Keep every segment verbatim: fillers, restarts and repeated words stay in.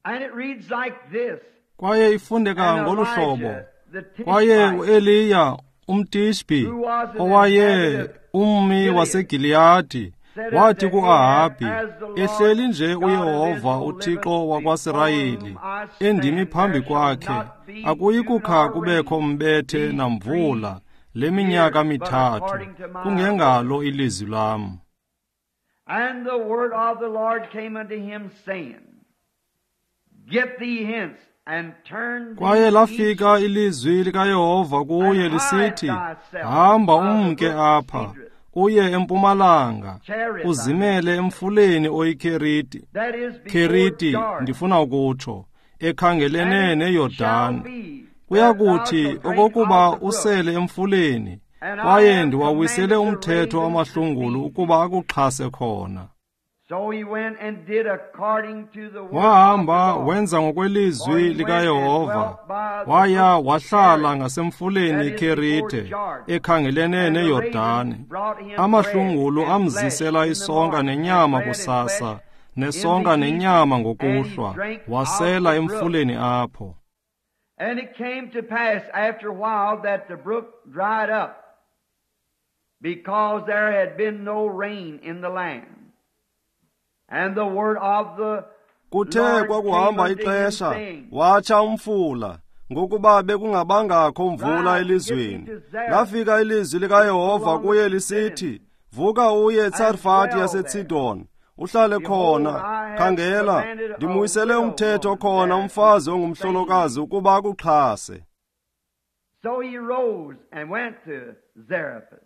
And it reads like this. Kwaye ifundeka And ngolu hlobo. Elijah, the Kwaye Tishbite, uEliya umTishbi who was an owaye inhabitant of ummi Gilead, waseGiliyadi said wathi unto kuAhabhi, Ahab, As the Lord ehleli nje God of uYehova Israel uThixo liveth, wakwaSirayeli before whom I endimi stand, phambi there shall kwakhe, not be akuyi dew kukha nor kubekho rain mbethe these namvula three le minyaka years, but mithathu, according to my kungengalo word. ilizwi lam. And the word of the Lord came unto him, saying, Get thee hence, and turn Kwaye thee east, lafika ilizwi likaYehova kuye and hide lisithi, thyself Hamba by the umke brook apha, Cedrus, uye empumalanga, Cherith, I mean, uzimele emfuleni oyiKeriti, that is before Keriti Jordan. ndifuna ukutsho, ekhangelene And it shall neYordani. be Kuya that thou kuthi shalt drink okokuba of the brook, usele emfuleni, and I kwaye have ndiwawisele commanded the umthetho ravens to amahlungulu feed ukuba thee. akuxhase khona. So he went and did according to the word of the Wahamba Lord. wenza For ngokwelizwi he went and likaYehova, dwelt by the waya brook wahlala Cherith, ngasemfuleni that is before iKerite, Jordan. ekhangelene And the ravens neYordani. brought him bread Amahlungulu and flesh amzisela in the isonka morning, and nenyama bread and kusasa, flesh in nesonka the evening, nenyama and he ngokuhlwa, drank of wasela the brook. emfuleni apho. And it came to pass after a while that the brook dried up, because there had been no rain in the land. And the word of the Kuthe Lord came kwakuhamba unto him, ixesha, saying, watsha umfula, ngokuba bekungabangakho mvula Rise, get thee elizweni. to Zarephath, Lafika ilizwi which likaYehova kuye belongeth to lisithi, Sidon, Vuka uye and eTsarfati dwell there. yaseTsidon, uhlale Behold, khona. I have Khangela, commanded a ndimwisele widow umthetho woman khona there to umfazi sustain thee. ongumhlolokazi ukuba akuxhase. So he rose and went to Zarephath.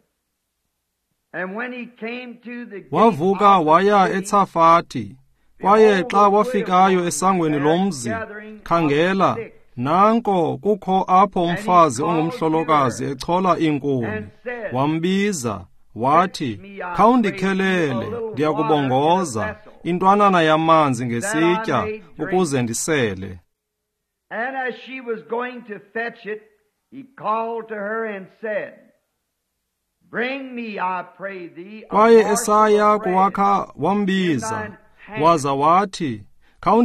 And when he came to the gate Wavuka of the waya city, eTsafati. Kwaye behold, xa the widow wafikayo woman was esangweni there lomzi, gathering of khangela, sticks. nanko kukho apho And he umfazi called to ongumhlolokazi her echola iinkuni. and said, Wambiza Fetch wathi, me, I pray thee, a Khawundikhelele, little water in a ndiyakubongoza, vessel, intwanana yamanzi that I ngesitya, may drink. ukuze ndisele. And as she was going to fetch it, he called to her and said, Bring me, I pray thee, a Kwaye morsel esaya of bread kuwakha in wambiza, thine hand. waza wathi, And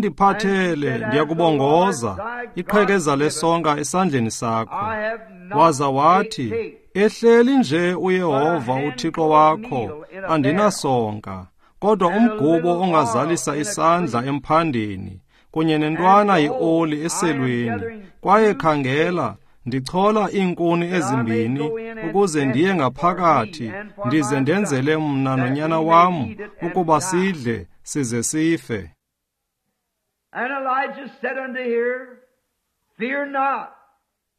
she Khawundiphathele, said, As the Lord ndiyakubongoza, thy God iqhekeza liveth, lesonka esandleni sakho. I have not Waza a wathi, cake, Ehleli nje but a uYehova uThixo handful of wakho, meal in a barrel, andinasonka, kodwa and a umgubo little oil ongazalisa in a isandla cruse. emphandeni, kunye And nentwana behold, yeoli I am eselweni. gathering Kwaye two khangela, sticks, ndichola iinkuni that I may ezimbini, go in and ukuze fetch ndiye it for me ngaphakathi, and for ndize my son, ndenzele mna that nonyana we may wam, eat it and ukuba die. sidle size sife. And Elijah said unto her, Fear not,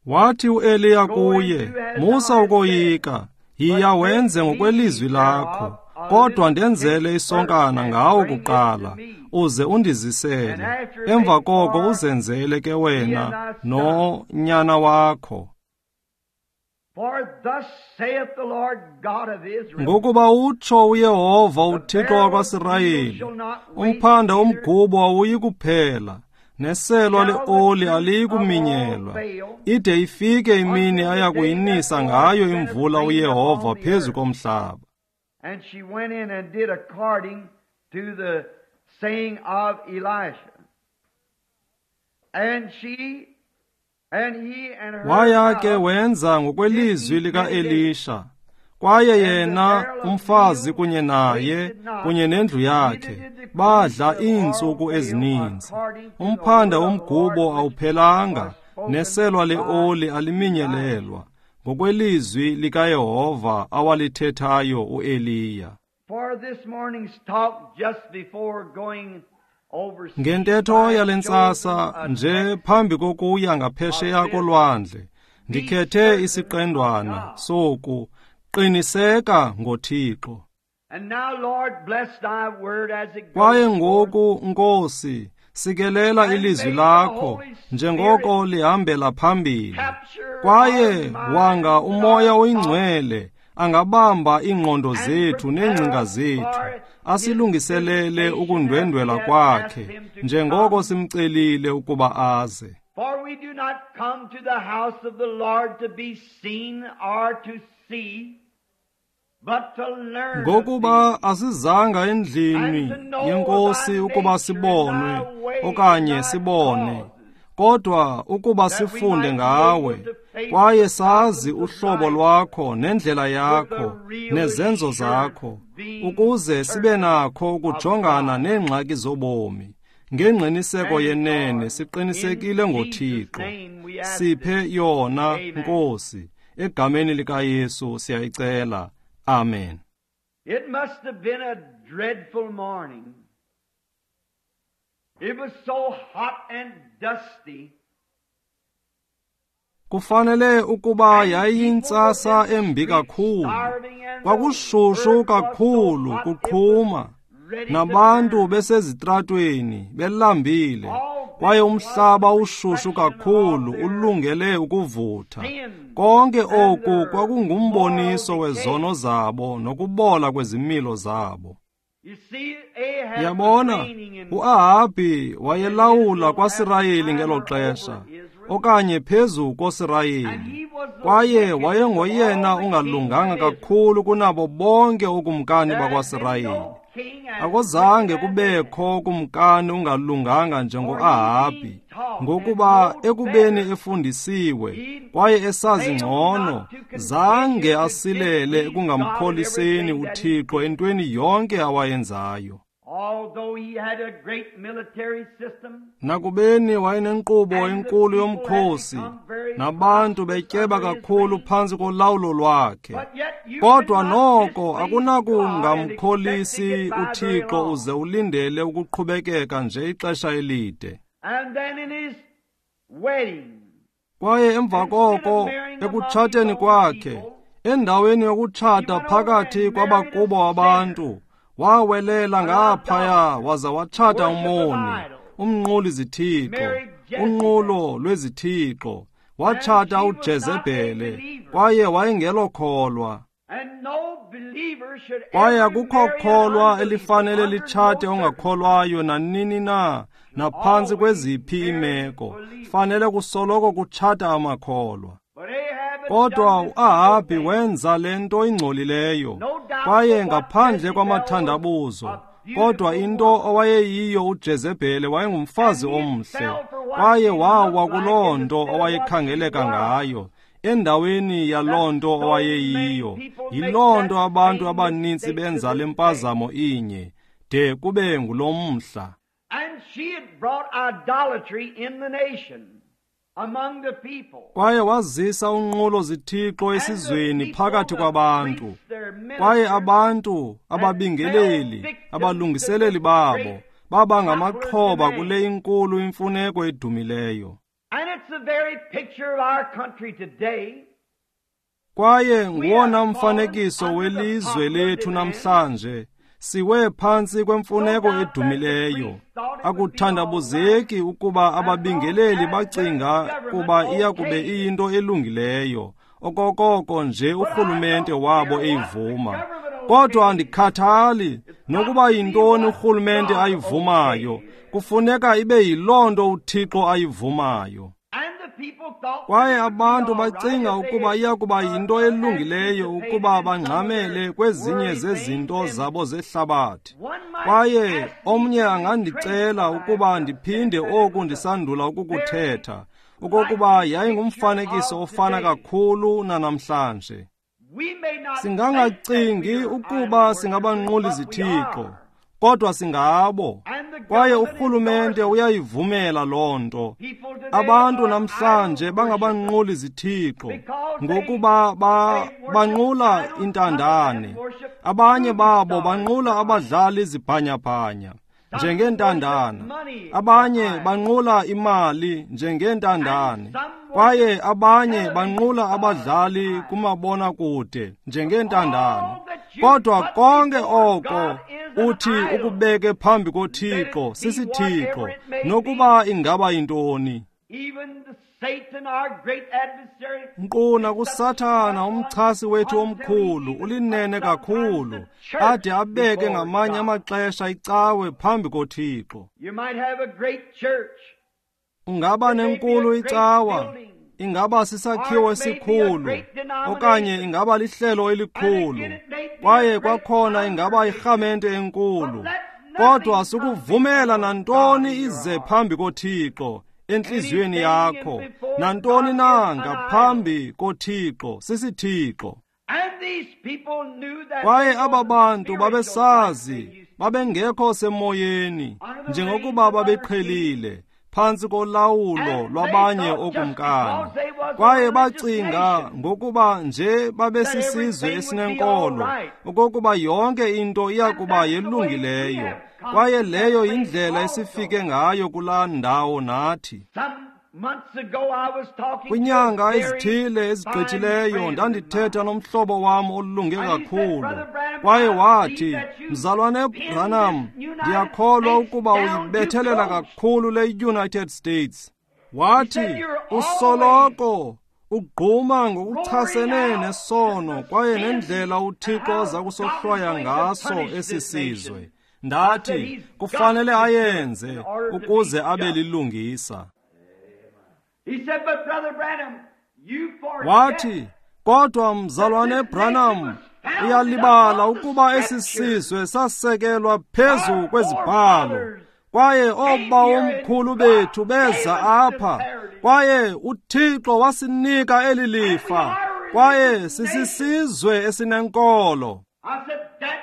Wathi uEliya go kuye, and do as Musa thou hast said, ukoyika, but yiya fetch wenze me ngokwelizwi lakho, thereof a kodwa little cake ndenzele first, isonkana and ngawo bring it to kuqala, me. uze And undizisele. after Emva make koko for uzenzele ke thee and wena thy son. nonyana wakho. For thus saith the Lord God of Israel, Ngokuba utsho uYehova The uThixo barrel of meal wakwaSirayeli, shall not waste, umphanda neither womgubo awuyi kuphela, neselwa shall the leoli cruse aliyi of oil kuminyelwa, fail, ide ifike imini until aya the day that kuyinisa the Lord ngayo sendeth imvula rain uYehova upon the phezu earth. komhlaba. And she went in and did according to the saying of Elisha. And she and he and her Waya ke house wenza did ngokwelizwi eat many days. likaElisha. Kwaye And the yena barrel of umfazi meal kunye naye wasted not, kunye nendlu neither yakhe did the cruse badla of oil iintsuku fail, ezininzi. according to the Umphanda word of the Lord womgubo which awuphelanga, was spoken neselwa by leoli Elisha. aliminyelelwa, ngokwelizwi likaYehova awalithethayo uEliya. For this morning's talk, just before going overseas, Ngentetho I yale have chosen ntsasa a nje text phambi kokuya of ngaphesheya this. kolwandle, Be ndikhethe certain of isiqendwana God. soku qiniseka ngoThixo. And now, Lord, bless thy word as it Kwaye goes forth, ngoku Nkosi, sikelela and ilizwi may the lakho Holy Spirit njengoko lihambela phambili. capture our Kwaye wanga minds and uMoya our thoughts oyiNgcwele angabamba iingqondo and zethu prepare neengcinga us zethu, for his asilungiselele visitation as we ukundwendwela have asked kwakhe him to njengoko come. simcelile ukuba aze. For we do not come to the house of the Lord to be seen or to see, Ngokuba asizanga endlini yenkosi ukuba sibonwe okanye sibone, kodwa ukuba sifunde ngawe, kwaye sazi uhlobo lwakho nendlela yakho nezenzo zakho, ukuze sibe nakho ukujongana neengxaki zobomi. Ngengqiniseko yenene siqinisekile ngoThixo. Siphe yona, Nkosi. Egameni likaYesu siyayicela. Amen. It must have been a dreadful morning. It was so hot and dusty. Kufanele ukuba yayiyintsasa embi kakhulu. Kwakushushu kakhulu kuqhuma, nabantu besezitratweni belambile, kwaye umhlaba ushushu kakhulu ulungele ukuvutha. Konke oku kwakungumboniso wezono zabo nokubola kwezimilo zabo. Yabona, uAhabhi wayelawula kwaSirayeli ngelo xesha, okanye phezu koSirayeli, kwaye wayengoyena ungalunganga kakhulu kunabo bonke ookumkani bakwaSirayeli. Akuzange kubekho kumkani ungalunganga njengoAhabhi, ngokuba ekubeni efundisiwe kwaye esazi ngcono, zange asilele ekungamkholiseni uThixo entweni yonke awayenzayo. Nakubeni wayenenkqubo enkulu yomkhosi, nabantu betyeba kakhulu phantsi kolawulo lwakhe, kodwa noko akunakungamkholisi uThixo uze ulindele ukuqhubekeka nje ixesha elide. Kwaye emva koko, ekutshateni kwakhe, endaweni yokutshata phakathi kwabakubo abantu, wawelela ngaphaya waza watshata umoni, umnquli zithixo, unqulo lwezithixo. Watshata uJezebhele, kwaye wayengelokholwa. Kwaye akukho kholwa elifanele litshate ongakholwayo nanini na, naphantsi kweziphi iimeko. Fanele kusoloko kutshata amakholwa. Kodwa uAhabhi wenza le nto ingcolileyo, kwaye ngaphandle kwamathandabuzo. Kodwa into owayeyiyo uJezebhele wayengumfazi omhle, kwaye wawa kuloo nto owayekhangeleka ngayo, endaweni yaloo nto owayeyiyo. Yiloo nto abantu abanintsi benza le mpazamo inye, de kube ngulo mhla. Kwaye wazisa unqulo zithixo esizweni phakathi kwabantu, kwaye abantu, ababingeleli, abalungiseleli babo, baba ngamaxhoba kule inkulu imfuneko edumileyo. Kwaye nguwona mfanekiso welizwe lethu namhlanje. Siwe phantsi kwemfuneko edumileyo. Akuthandabuzeki ukuba ababingeleli bacinga kuba iya kube iyinto elungileyo, okokoko nje urhulumente wabo eyivuma. Kodwa andikhathali nokuba yintoni urhulumente ayivumayo, kufuneka ibe yiloo nto uThixo ayivumayo. Kwaye abantu bacinga ukuba iya kuba yinto elungileyo ukuba bangxamele kwezinye zezinto zabo zehlabathi. Kwaye omnye angandicela ukuba ndiphinde oku ndisandula ukukuthetha, okokuba yayingumfanekiso ofana kakhulu nanamhlanje. Singangacingi ukuba singabanquli zithixo, kodwa singabo. Kwaye urhulumente uyayivumela loo nto. Abantu namhlanje bangabanquli zithixo ngokuba ba, banqula intandane. Abanye babo banqula abadlali zibhanyabhanya njengentandane. Abanye banqula imali njengentandane. Kwaye abanye banqula abadlali kumabonakude njengentandane. Kodwa konke oko uthi ukubeke phambi koThixo sisithixo, nokuba ingaba yintoni. Nkqu nakuSathana umchasi wethu omkhulu ulinene kakhulu, ade abeke ngamanye amaxesha icawe phambi koThixo. Ungaba nenkulu icawa, Ingaba sisakhiwo esikhulu, okanye ingaba lihlelo elikhulu, kwaye kwakhona ingaba irhamente enkulu. Kodwa sukuvumela nantoni ize phambi koThixo entliziyweni yakho, nantoni na ngaphambi koThixo sisithixo. Kwaye aba bantu babesazi, babengekho semoyeni njengokuba babeqhelile phantsi kolawulo lwabanye ookumkani. Kwaye bacinga ngokuba nje babesisizwe esinenkolo, okokuba yonke into iya kuba yelungileyo. Kwaye leyo yindlela esifike ngayo kulaa ndawo nathi. Kwinyanga ezithile ezigqithileyo ndandithetha nomhlobo wam olunge kakhulu, kwaye wathi, Mzalwane Branham, ndiyakholwa ukuba uyibethelela kakhulu le United States. Wathi, usoloko ugquma ngokuchasene nesono kwaye nendlela uThixo aza kusohlwaya ngaso esi sizwe. Ndathi, kufanele ayenze ukuze abe lilungisa. Wathi, kodwa Mzalwane Branham, uyalibala ukuba esi sizwe sasekelwa phezu kwezibhalo, kwaye oobawomkhulu bethu beza apha, kwaye uThixo wasinika eli lifa, kwaye sisisizwe esinenkolo.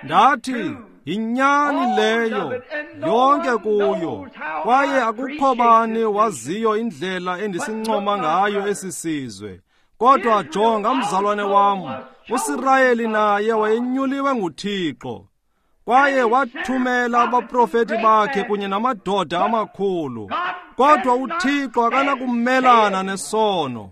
Ndathi, yinyani leyo yonke kuyo, kwaye akukho bani waziyo indlela endisincoma ngayo esi sizwe. Kodwa jonga mzalwane wam, uSirayeli naye wayenyuliwe nguThixo, kwaye wathumela abaprofeti bakhe kunye namadoda amakhulu. Kodwa uThixo akanakumelana nesono.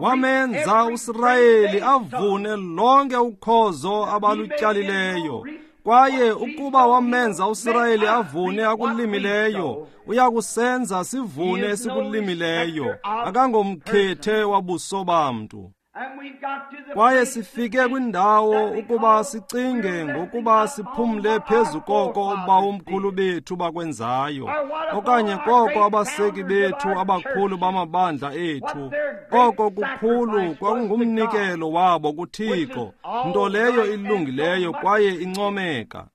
Wamenza uSirayeli avune lonke ukhozo abalutyalileyo, kwaye ukuba wamenza uSirayeli avune akulimileyo, uyakusenza sivune esikulimileyo. Akangomkhethe wabuso bamntu. Kwaye sifike kwindawo ukuba sicinge ngokuba siphumle phezu koko obawomkhulu bethu bakwenzayo, okanye koko abaseki bethu abakhulu bamabandla ethu. Oko kukhulu kwakungumnikelo wabo kuThixo, nto leyo ilungileyo kwaye incomeka.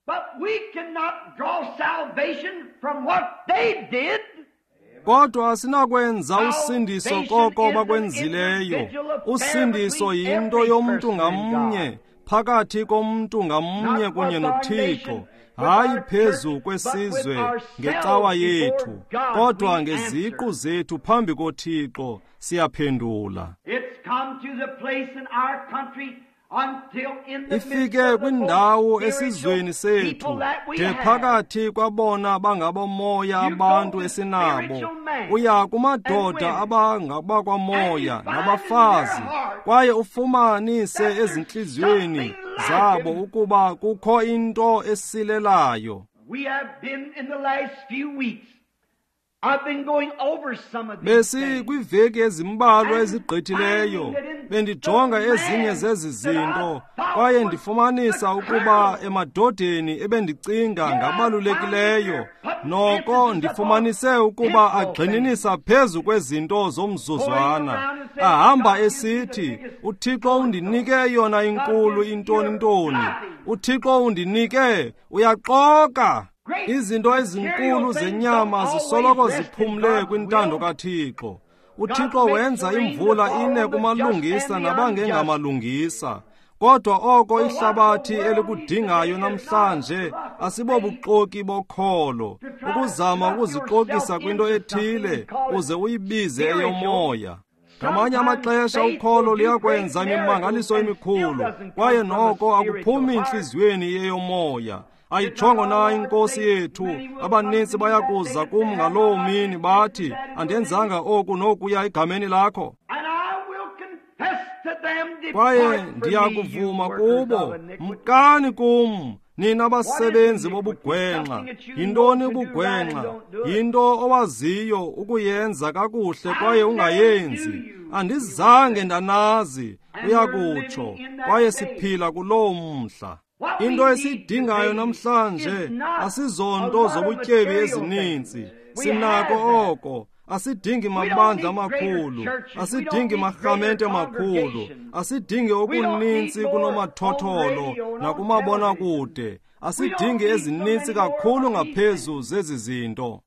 Kodwa asinakwenza usindiso koko bakwenzileyo. Usindiso yinto yomntu ngamnye, phakathi komntu ngamnye kunye noThixo, hayi phezu kwesizwe ngecawa yethu, kodwa ngeziqu zethu phambi koThixo siyaphendula. Ifike kwindawo esizweni sethu, de phakathi kwabona bangabomoya abantu esinabo, uya kumadoda abangabakwamoya nabafazi, kwaye ufumanise ezintliziyweni zabo ukuba kukho into esilelayo. Besi kwiveki ezimbalwa ezigqithileyo bendijonga ezinye zezi zinto, kwaye ndifumanisa ukuba emadodeni ebendicinga ngabalulekileyo, noko ndifumanise ukuba agxininisa phezu kwezinto zomzuzwana. Ahamba esithi, uThixo undinike eyona inkulu intoni ntoni, uThixo undinike, uyaxoka. Izinto ezinkulu zenyama zisoloko ziphumle kwintando kaThixo. UThixo wenza imvula ine kumalungisa nabangengamalungisa. Kodwa oko ihlabathi elikudingayo namhlanje asibobuxoki bokholo, ukuzama ukuzixokisa kwinto ethile uze uyibize eyomoya. Ngamanye amaxesha ukholo luyakwenza imimangaliso emikhulu, kwaye noko akuphumi entliziyweni eyomoya. Ayitshongo na inkosi yethu, abaninzi bayakuza kum ngaloo mini bathi, andenzanga oku nokuya egameni lakho. Kwaye ndiyakuvuma kubo, mkani kum, nina basebenzi bobugwenxa. Yintoni ubugwenxa? Yinto owaziyo ukuyenza kakuhle kwaye ungayenzi. Andizange ndanazi, uyakutsho, kwaye siphila kuloo mhla. Into esiyidingayo namhlanje asizonto zobutyebi ezininzi. Sinako oko, Asidingi mabandla amakhulu, asidingi marhamente makhulu, asidingi okuninzi kunomathotholo nakumabonakude, asidingi ezininzi kakhulu ngaphezu zezi zinto.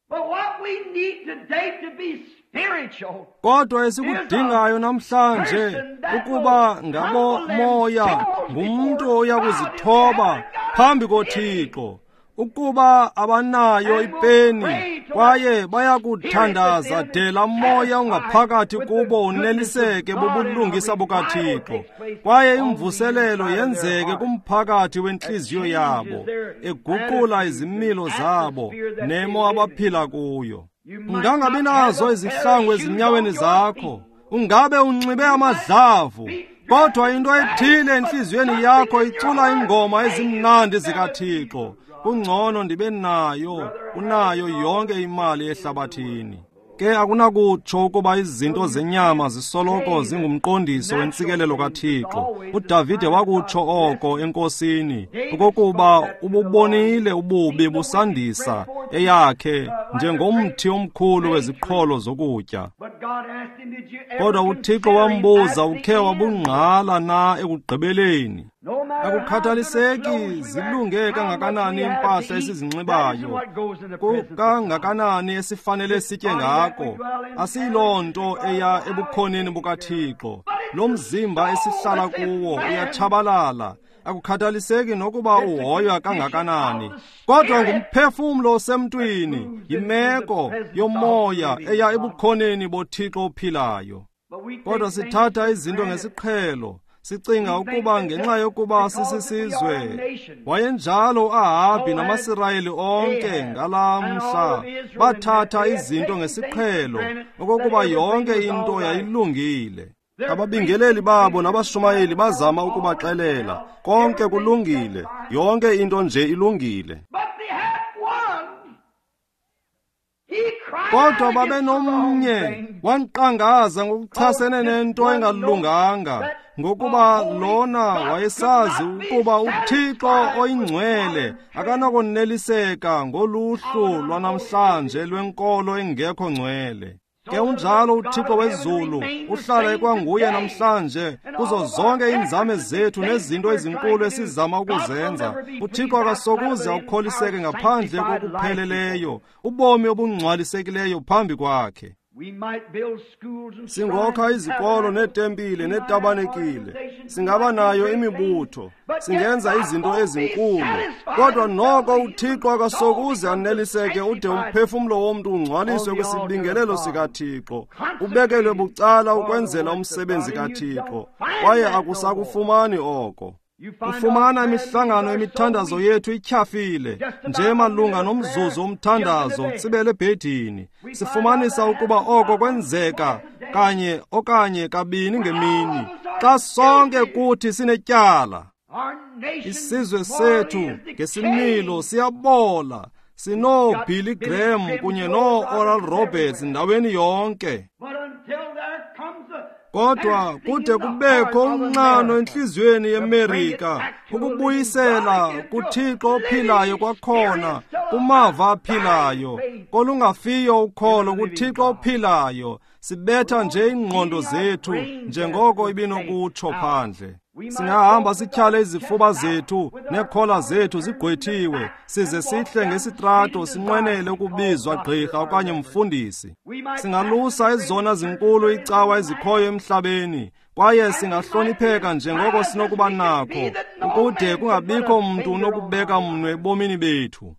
Kodwa esikudingayo namhlanje ukuba ngabo moya ngumntu oya kuzithoba phambi koThixo, ukuba abanayo ipeni kwaye bayakuthandaza de laa moya ungaphakathi kubo uneliseke bubulungisa bukaThixo, kwaye imvuselelo yenzeke kumphakathi wentliziyo yabo, eguqula izimilo zabo nemo abaphila kuyo. Ungangabi nazo izihlangu ezinyaweni zakho, ungabe unxibe amadlavu, kodwa into ethile entliziyweni yakho icula ingoma ezimnandi zikaThixo. Kungcono ndibe nayo unayo yonke imali ehlabathini. Ke akunakutsho ukuba izinto zenyama zisoloko zingumqondiso wentsikelelo kaThixo. UDavide wakutsho oko enkosini, okokuba ububonile ububi busandisa eyakhe njengomthi omkhulu weziqholo zokutya. Kodwa uThixo wambuza, ukhe wabungqala na ekugqibeleni? Akukhathaliseki zilunge kangakanani impahla esizinxibayo, kangakanani esifanele sitye ngako, asiyiloo nto eya ebukhoneni bukaThixo. Lo mzimba esihlala kuwo uyatshabalala, akukhathaliseki nokuba uhoywa kangakanani, kodwa ngumphefumlo osemntwini, yimeko yomoya eya ebukhoneni boThixo ophilayo. Kodwa sithatha izinto ngesiqhelo, sicinga ukuba ngenxa yokuba sisisizwe. Wayenjalo uAhabhi namaSirayeli onke ngalaa mhla, bathatha izinto ngesiqhelo, okokuba yonke into yayilungile. Ababingeleli babo nabashumayeli bazama ukubaxelela, konke kulungile, yonke into nje ilungile. Kodwa babenomnye wankqangaza ngokuchasene nento engalunganga, ngokuba lona wayesazi ukuba uThixo oyingcwele akanakoneliseka ngoluhlu lwanamhlanje lwenkolo engekho ngcwele. Ke unjalo uThixo wezulu uhlala ekwanguye namhlanje kuzo zonke iinzame zethu nezinto ezinkulu esizama ukuzenza. UThixo akasokuze akholiseke ngaphandle kokupheleleyo, ubomi obungcwalisekileyo phambi kwakhe. Singokha izikolo neetempile neetabanekile, singaba nayo imibutho, singenza izinto ezinkulu, kodwa noko uThixo akasokuze aneliseke ude umphefumlo womntu ungcwaliswe kwisibingelelo sikaThixo, ubekelwe bucala ukwenzela umsebenzi kaThixo, kwaye akusakufumani oko. Ufumana imihlangano yemithandazo yethu ityhafile nje malunga nomzuzu womthandazo utsibele ebhedini. Sifumanisa ukuba oko kwenzeka kanye okanye kabini ngemini, xa sonke kuthi sinetyala. Isizwe sethu ngesimilo siyabola, sinooBilly Graham kunye noo-Oral Roberts ndaweni yonke. Kodwa kude kubekho unxano entliziyweni yeMerika ukubuyisela kuThixo ophilayo kwakhona, kumava aphilayo, kolungafiyo ukholo kuThixo ophilayo. Sibetha nje iingqondo zethu njengoko ibinokutsho phandle. Singahamba sityhale izifuba zethu neekhola zethu zigqwethiwe, size sihle ngesitrato sinqwenele ukubizwa gqirha okanye mfundisi. Singalusa ezona zinkulu icawa ezikhoyo emhlabeni, kwaye singahlonipheka njengoko sinokuba nakho, ukude kungabikho mntu unokubeka mnwe ebomini bethu.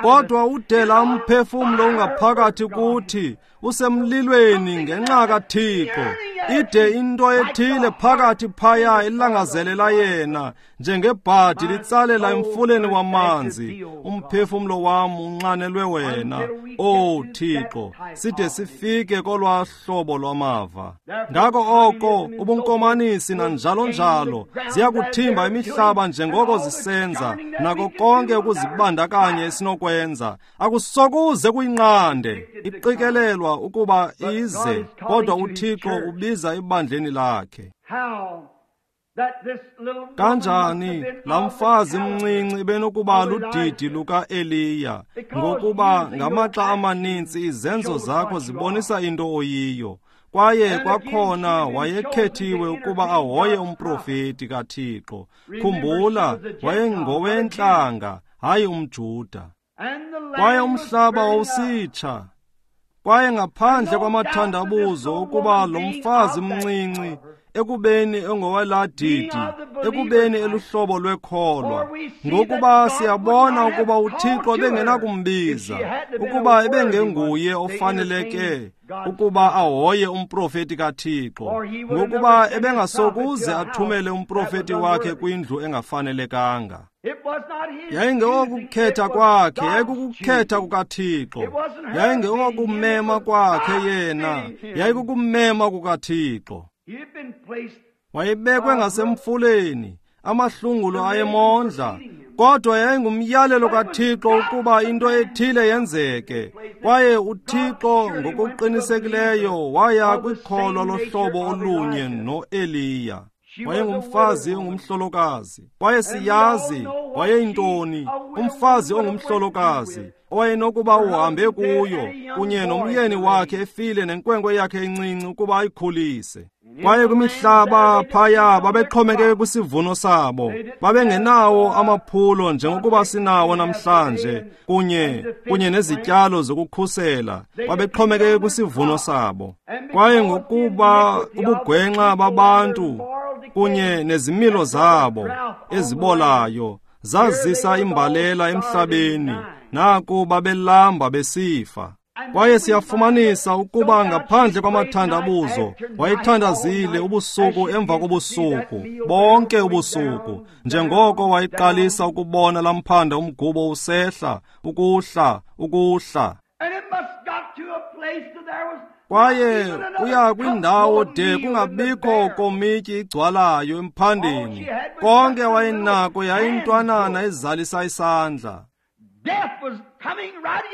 Kodwa udela umphefumlo ungaphakathi kuthi usemlilweni ngenxa kaThixo, ide into ethile phakathi phaya ilangazelela yena njengebhadi litsalela emfuleni wamanzi. Umphefumlo wam unxanelwe wena, O Thixo, side sifike kolwa hlobo lwamava. Ngako oko ubunkomanisi nanjalo njalo ziyakuthimba imihlaba njengoko zisenza, nako konke ukuzibandakanya esinokwenza. Akusokuze kuyinqande, iqikelelwa ukuba ize, kodwa uThixo ubiza ebandleni lakhe. Kanjani laa mfazi mncinci benokuba ludidi luka-Eliya, ngokuba ngamaxa amaninzi izenzo zakho zibonisa into oyiyo. Kwaye kwakhona wayekhethiwe ukuba ahoye umprofeti kaThixo. Khumbula, wayengowentlanga, hayi umJuda. Kwaye umhlaba wawusitsha. Kwaye ngaphandle kwamathandabuzo ukuba lo mfazi mncinci, ekubeni engoweladidi, ekubeni eluhlobo lwekholwa, ngokuba siyabona ukuba uThixo ebengenakumbiza, ukuba ebengenguye ofaneleke ukuba ahoye umprofeti kaThixo, ngokuba ebengasokuze athumele umprofeti wakhe kwindlu engafanelekanga. Yayingekokukhetha kwakhe, yayikukukhetha kukaThixo. Yayingekokumema kwakhe yena, yayikukumema kukaThixo. Wayebekwe ngasemfuleni, amahlungulo ayemondla, kodwa yayingumyalelo kaThixo ukuba into ethile yenzeke. Kwaye uThixo ngokuqinisekileyo waya kwikholo lohlobo olunye noEliya. Wayengumfazi ongumhlolokazi, kwaye siyazi wayeyintoni umfazi ongumhlolokazi owayenokuba uhambe kuyo kunye nomyeni wakhe efile nenkwenkwe yakhe encinci ukuba ayikhulise. Kwaye kwimihlaba phaya babexhomekeke kwisivuno sabo, babengenawo amaphulo njengokuba sinawo namhlanje kunye kunye nezityalo zokukhusela, babexhomekeke kwisivuno sabo. Kwaye ngokuba ubugwenxa babantu kunye nezimilo zabo ezibolayo zazisa imbalela emhlabeni, naku babelamba besifa. Kwaye siyafumanisa ukuba ngaphandle kwamathandabuzo wayethandazile ubusuku emva kobusuku, bonke ubusuku, njengoko wayeqalisa ukubona lamphanda umgubo usehla, ukuhla, ukuhla. Kwaye uya kwindawo de kungabikho komityi igcwalayo emphandeni. Konke wayenako yayintwanana ezalisa isandla.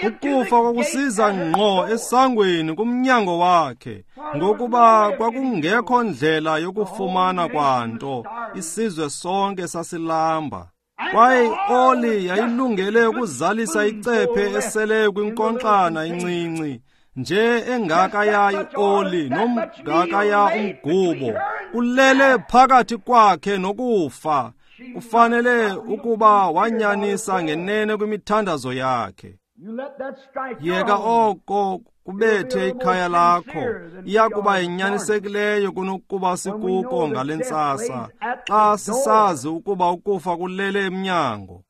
Ukufa kwakusiza ngqo esangweni kumnyango wakhe, ngokuba kwakungekho ndlela yokufumana kwanto, isizwe sonke sasilamba. Kwaye ioli yayilungele ukuzalisa icephe eseleyo kwinkonkxana incinci, nje engakaya ioli nomngakaya umgubo, ulele phakathi kwakhe nokufa. Kufanele ukuba wanyanisa ngenene kwimithandazo yakhe. Yeka oko kubethe ikhaya lakho, iyakuba inyanisekileyo kunokuba sikuko ngale ntsasa, xa sisazi ukuba ukufa kulele emnyango.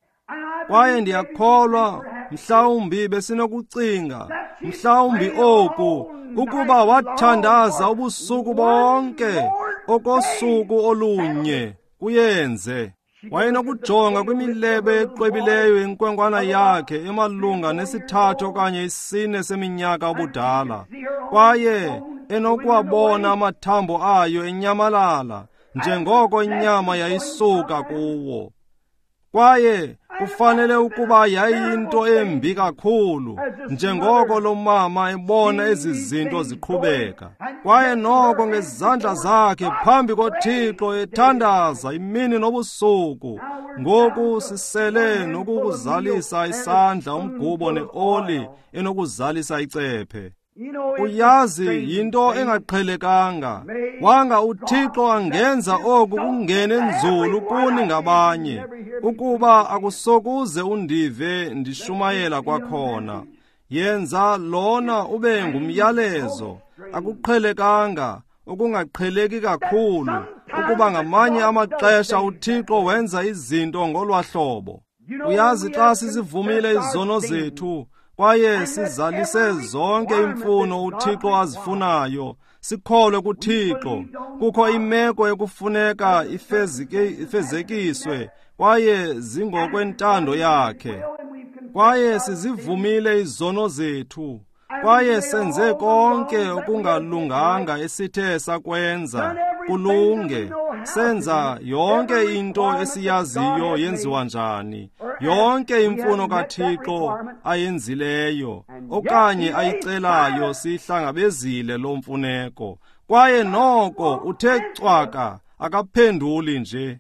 Kwaye ndiyakholwa mhlawumbi besinokucinga, mhlawumbi oku, ukuba wathandaza ubusuku bonke okosuku olunye kuyenze. Wayenokujonga kwimilebe exwebileyo yenkwenkwana yakhe emalunga nesithathu okanye isine seminyaka ubudala, kwaye enokuwabona amathambo ayo enyamalala njengoko inyama yayisuka kuwo. Kwaye kufanele ukuba yayinto embi kakhulu njengoko lo mama ebona ezi zinto ziqhubeka. Kwaye noko ngezandla zakhe phambi koThixo ethandaza imini nobusuku. Ngoku sisele nokukuzalisa isandla umgubo neoli enokuzalisa icephe. Uyazi yinto engaqhelekanga. Wanga uThixo angenza oku kungene nzulu kuni ngabanye, ukuba akusokuze undive ndishumayela kwakhona. Yenza lona ube ngumyalezo. Akuqhelekanga, okungaqheleki kakhulu, ukuba ngamanye amaxesha uThixo wenza izinto ngolwahlobo. Uyazi xa sizivumile izono zethu kwaye sizalise zonke imfuno uThixo azifunayo, sikholwe kuThixo, kukho imeko ekufuneka ifezike ifezekiswe kwaye zingokwentando yakhe. Kwaye sizivumile izono zethu, kwaye senze konke okungalunganga esithe sakwenza kulunge, senza yonke into esiyaziyo yenziwa njani, yonke imfuno kaThixo ayenzileyo okanye ayicelayo sihlangabezile lo mfuneko. Kwaye noko uthe cwaka, Akaphenduli nje.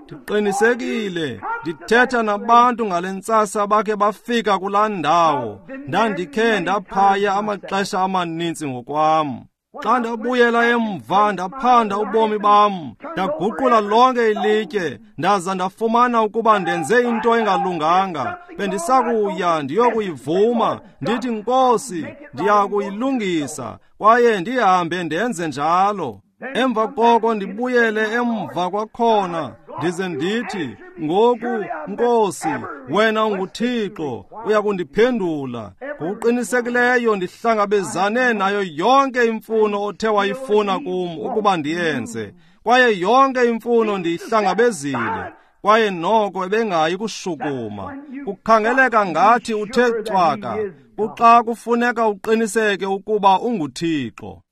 Ndiqinisekile ndithetha nabantu ngale ntsasa bakhe bafika kulaa ndawo. Ndandikhe ndaphaya amaxesha amaninzi ngokwam. Xa ndabuyela emva ndaphanda ubomi bam, ndaguqula lonke ilitye, ndaza ndafumana ukuba ndenze into engalunganga. Bendisakuya ndiyokuyivuma, ndithi Nkosi, ndiyakuyilungisa, kwaye ndihambe ndenze njalo. Emva koko ndibuyele emva kwakhona, ndize ndithi, ngoku Nkosi, wena unguThixo, uyakundiphendula. Ngokuqinisekileyo ndihlangabezane nayo yonke imfuno othe wayifuna kum ukuba ndiyenze, kwaye yonke imfuno ndiyihlangabezile. Kwaye noko ebengayi kushukuma. Kukhangeleka ngathi uthe cwaka, kuxa kufuneka uqiniseke ukuba unguThixo.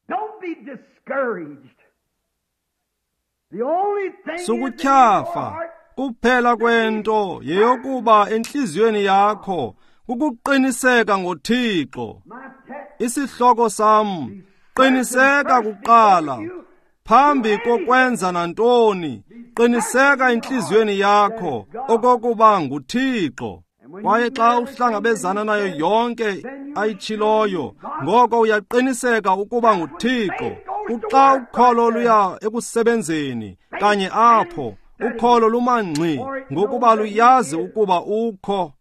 Sukutyhafa, kuphela kwento yeyokuba entliziyweni yakho kukuqiniseka ngoThixo. Isihloko sam, qiniseka kuqala, phambi kokwenza nantoni, qiniseka entliziyweni yakho okokuba nguThixo. Kwaye xa uhlangabezana nayo yonke ayitshiloyo, ngoko uyaqiniseka ukuba nguThixo. Kuxa ukholo luya ekusebenzeni, kanye apho, ukholo lumangxi, ngokuba luyazi ukuba ukho.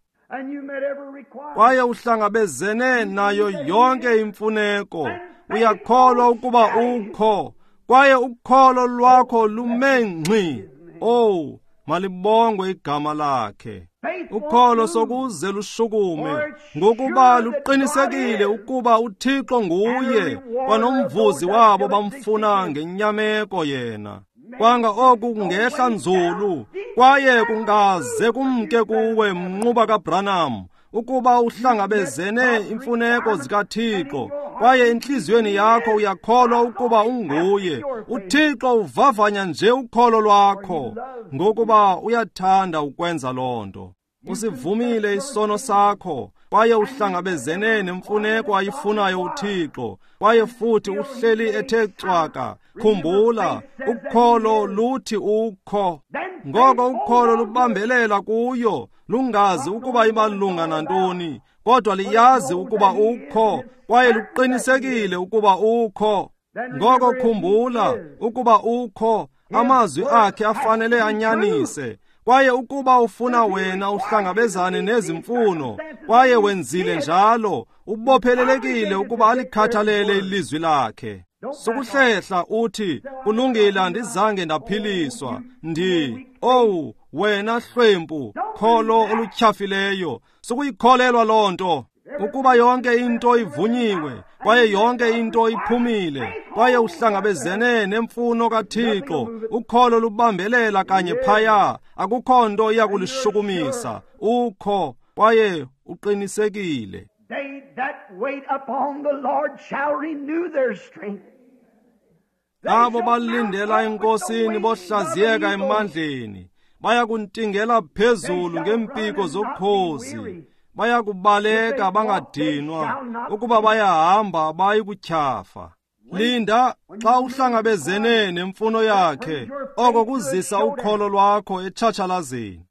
Kwaye uhlangabezene nayo yonke imfuneko, uyakholwa ukuba ukho, kwaye ukholo lwakho lume ngxi. Oh, malibongwe igama lakhe. Ukholo sokuze lushukume, ngokuba luqinisekile ukuba uThixo nguye, kwanomvuzi wabo bamfuna ngenyameko yena. Kwanga oku kungehla nzulu, kwaye kungaze kumke kuwe mnquba kaBranham, ukuba uhlangabezene imfuneko zikaThixo, kwaye entliziyweni yakho uyakholwa ukuba unguye. UThixo uvavanya nje ukholo lwakho, ngokuba uyathanda ukwenza loo nto. Usivumile isono sakho, kwaye uhlangabezene nemfuneko ayifunayo uThixo, kwaye futhi uhleli ethe cwaka. Khumbula, ukholo luthi ukho. Ngoko ukholo lubambelela kuyo, lungazi ukuba imalunga nantoni, kodwa liyazi ukuba ukho, kwaye luqinisekile ukuba ukho. Ngoko khumbula ukuba ukho, amazwi akhe afanele anyanise. Kwaye ukuba ufuna wena uhlangabezane nezimfuno, kwaye wenzile njalo, ubophelelekile ukuba alikhathalele ilizwi lakhe. Sukuhlehla uthi, kulungile, andizange ndaphiliswa. Ndi, owu, wena hlwempu, kholo olutyhafileyo. Sukuyikholelwa loo nto. Ukuba yonke into ivunyiwe, kwaye yonke into iphumile, kwaye uhlangabezene nemfuno kaThixo, ukholo lubambelela kanye phaya, akukho nto iyakulishukumisa. Ukho, kwaye uqinisekile. They that wait upon the Lord shall renew their strength. Abo balindela eNkosini bohlaziyeka emandleni, bayakuntingela phezulu ngempiko zokhozi, bayakubaleka bangadinwa, ukuba bayahamba bayikutyhafa. Linda xa uhlangabezene nemfuno yakhe, oko kuzisa ukholo lwakho etshatshalazeni.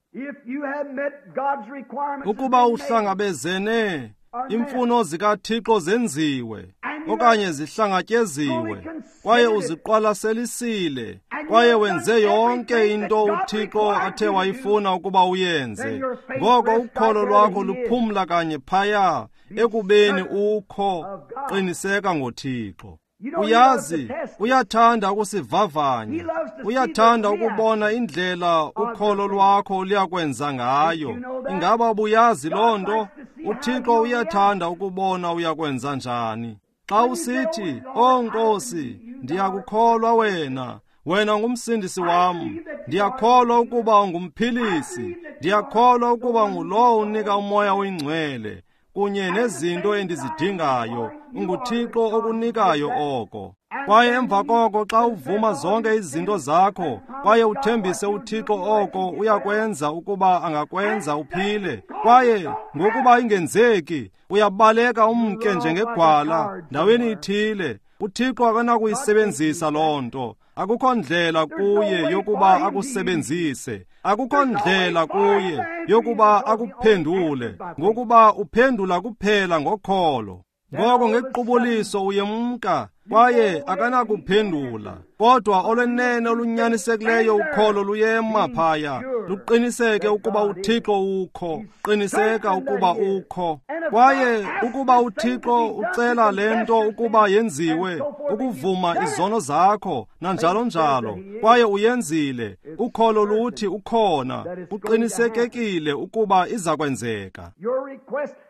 Ukuba uhlangabezene imfuno zikaThixo zenziwe okanye zihlangatyeziwe, kwaye uziqwalaselisile, kwaye wenze yonke into uThixo athe wayifuna ukuba uyenze, ngoko ukholo lwakho luphumla kanye phaya ekubeni ukho. Qiniseka ngoThixo. Uyazi, uyathanda ukusivavanya, uyathanda ukubona indlela ukholo lwakho luyakwenza ngayo. Ingaba ubuyazi loo nto? UThixo uyathanda ukubona uyakwenza njani. Xa usithi, "O Nkosi, ndiyakukholwa wena, wena ngumsindisi wam, ndiyakholwa ukuba ungumphilisi, ndiyakholwa ukuba ngulowo unika umoya oyingcwele kunye nezinto endizidingayo, unguThixo okunikayo oko." Kwaye emva koko xa uvuma zonke izinto zakho, kwaye uthembise uThixo oko uyakwenza ukuba angakwenza uphile, kwaye ngokuba ingenzeki, uyabaleka umke njengegwala ndaweni ithile. UThixo akanakuyisebenzisa loo nto. Akukho ndlela kuye yokuba akusebenzise. Akukho ndlela kuye yokuba akuphendule, ngokuba uphendula kuphela ngokholo. Ngoko ngequbuliso uyemka kwaye akanakuphendula. Kodwa olwenene olunyanisekileyo ukholo luyema phaya, luqiniseke ukuba uThixo ukho. Qiniseka ukuba ukho. Kwaye ukuba uThixo ucela le nto ukuba yenziwe, ukuvuma izono zakho nanjalo njalo, kwaye uyenzile, ukholo luthi ukhona, kuqinisekekile ukuba iza kwenzeka.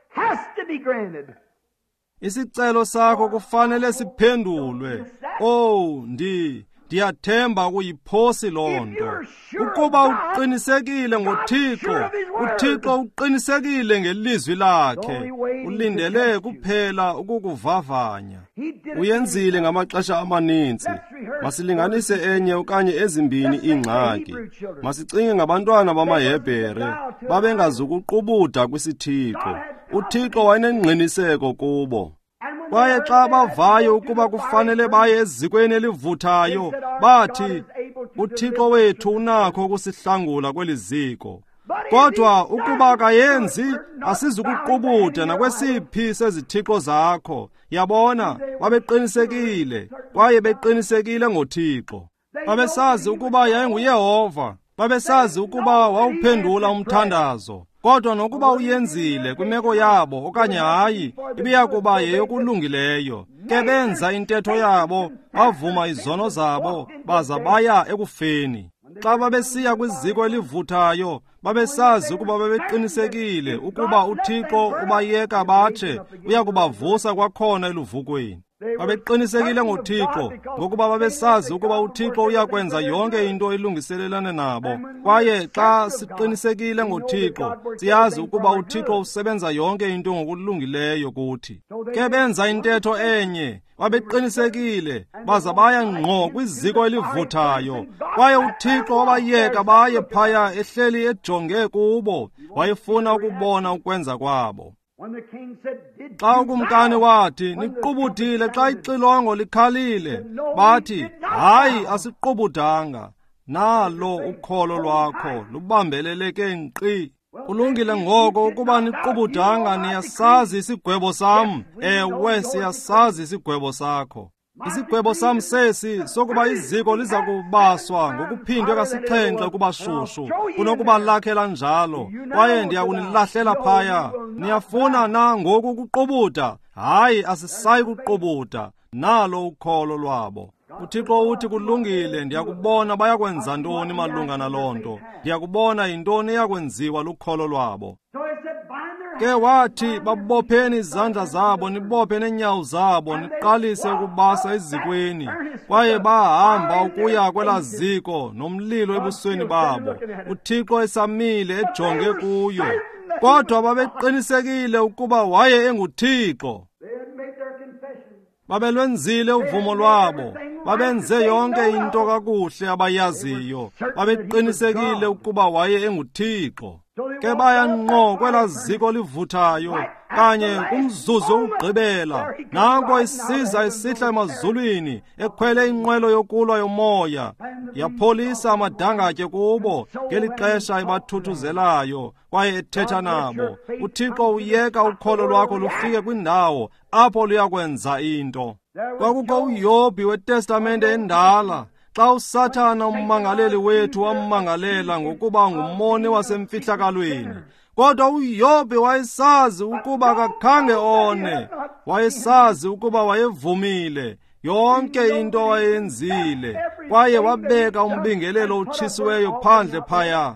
Has to be granted. Isicelo sakho kufanele siphendulwe. Oh, ndi ndiyathemba ukuyiphosi loo nto. Ukuba uqinisekile ngoThixo, uThixo uqinisekile ngelizwi lakhe, ulindele kuphela ukukuvavanya. Uyenzile ngamaxesha amaninzi. Masilinganise enye okanye ezimbini iingxaki. Masicinge ngabantwana bamaHebhere, babengazukuqubuda kwisithixo. UThixo wayenengqiniseko kubo. Kwaye xa bavayo ukuba kufanele baye ezikweni elivuthayo, bathi, uThixo wethu unakho ukusihlangula kweli ziko. Kodwa ukuba akayenzi, asizukuqubuda nakwesiphi sezithixo zakho. Yabona, babeqinisekile, kwaye beqinisekile ngoThixo. Babesazi ukuba yayinguYehova, babesazi ukuba wawuphendula umthandazo. Kodwa nokuba uyenzile kwimeko yabo okanye hayi, ibiya kuba yeyokulungileyo. Ke benza intetho yabo, bavuma izono zabo, baza baya ekufeni. Xa babesiya kwiziko elivuthayo, babesazi ukuba babeqinisekile ukuba uThixo ubayeka batshe, uya kubavusa kwakhona eluvukweni. Babeqinisekile ngoThixo, ngokuba babesazi ukuba uThixo uyakwenza yonke into elungiselelane nabo. Kwaye xa siqinisekile ngoThixo, siyazi ukuba uThixo usebenza yonke into ngokulungileyo kuthi. Ke benza intetho enye, babeqinisekile, baza baya ngqo kwiziko elivuthayo. Kwaye uThixo wabayeka baye phaya ehleli ejonge kubo, wayefuna ukubona ukwenza kwabo. Xa ukumkani wathi, niqubudile xa ixilongo likhalile, bathi, hayi, asiqubudanga. Nalo ukholo lwakho lubambeleleke nkqi. Kulungile ngoko ukuba niqubudanga, niyasazi isigwebo sam. Ewe, siyasazi isigwebo sakho. Isigwebo sam sesi sokuba iziko liza kubaswa ngokuphindwe kasixhenxe kuba shushu kunokuba lakhe lanjalo, kwaye ndiyakunilahlela phaya. Niyafuna na ngoku ukuqubuda? Hayi, asisayi kuqubuda. Nalo ukholo lwabo. UThixo uthi kulungile, ndiyakubona bayakwenza ntoni malunga naloo nto. Ndiyakubona yintoni eyakwenziwa lukholo lwabo. Ke wathi, babopheni izandla zabo, nibophe neenyawo zabo, niqalise ukubasa ezikweni. Kwaye bahamba ukuya kwelaa ziko nomlilo ebusweni babo, uThixo esamile ejonge kuyo. Kodwa babeqinisekile ukuba waye enguThixo. Babelwenzile uvumo lwabo, babenze yonke into kakuhle abayaziyo, babeqinisekile ukuba waye enguThixo. Ke baya ngqo kwelaa ziko livuthayo, kanye kumzuzu wokugqibela, nanko isiza isihla emazulwini, ekhwele inqwelo yokulwa yomoya, yapholisa amadangatye kubo ngeli xesha ebathuthuzelayo kwaye ethetha nabo. UThixo uyeka ukholo lwakho lufike kwindawo apho luyakwenza into. Kwakukho uYobhi weTestamente endala. Xa uSathana ummangaleli wethu wammangalela ngokuba ngumoni wasemfihlakalweni, kodwa uYobhi wayesazi ukuba akakhange one. Wayesazi ukuba wayevumile yonke into wayenzile, kwaye wabeka umbingelelo otshisiweyo phandle phaya.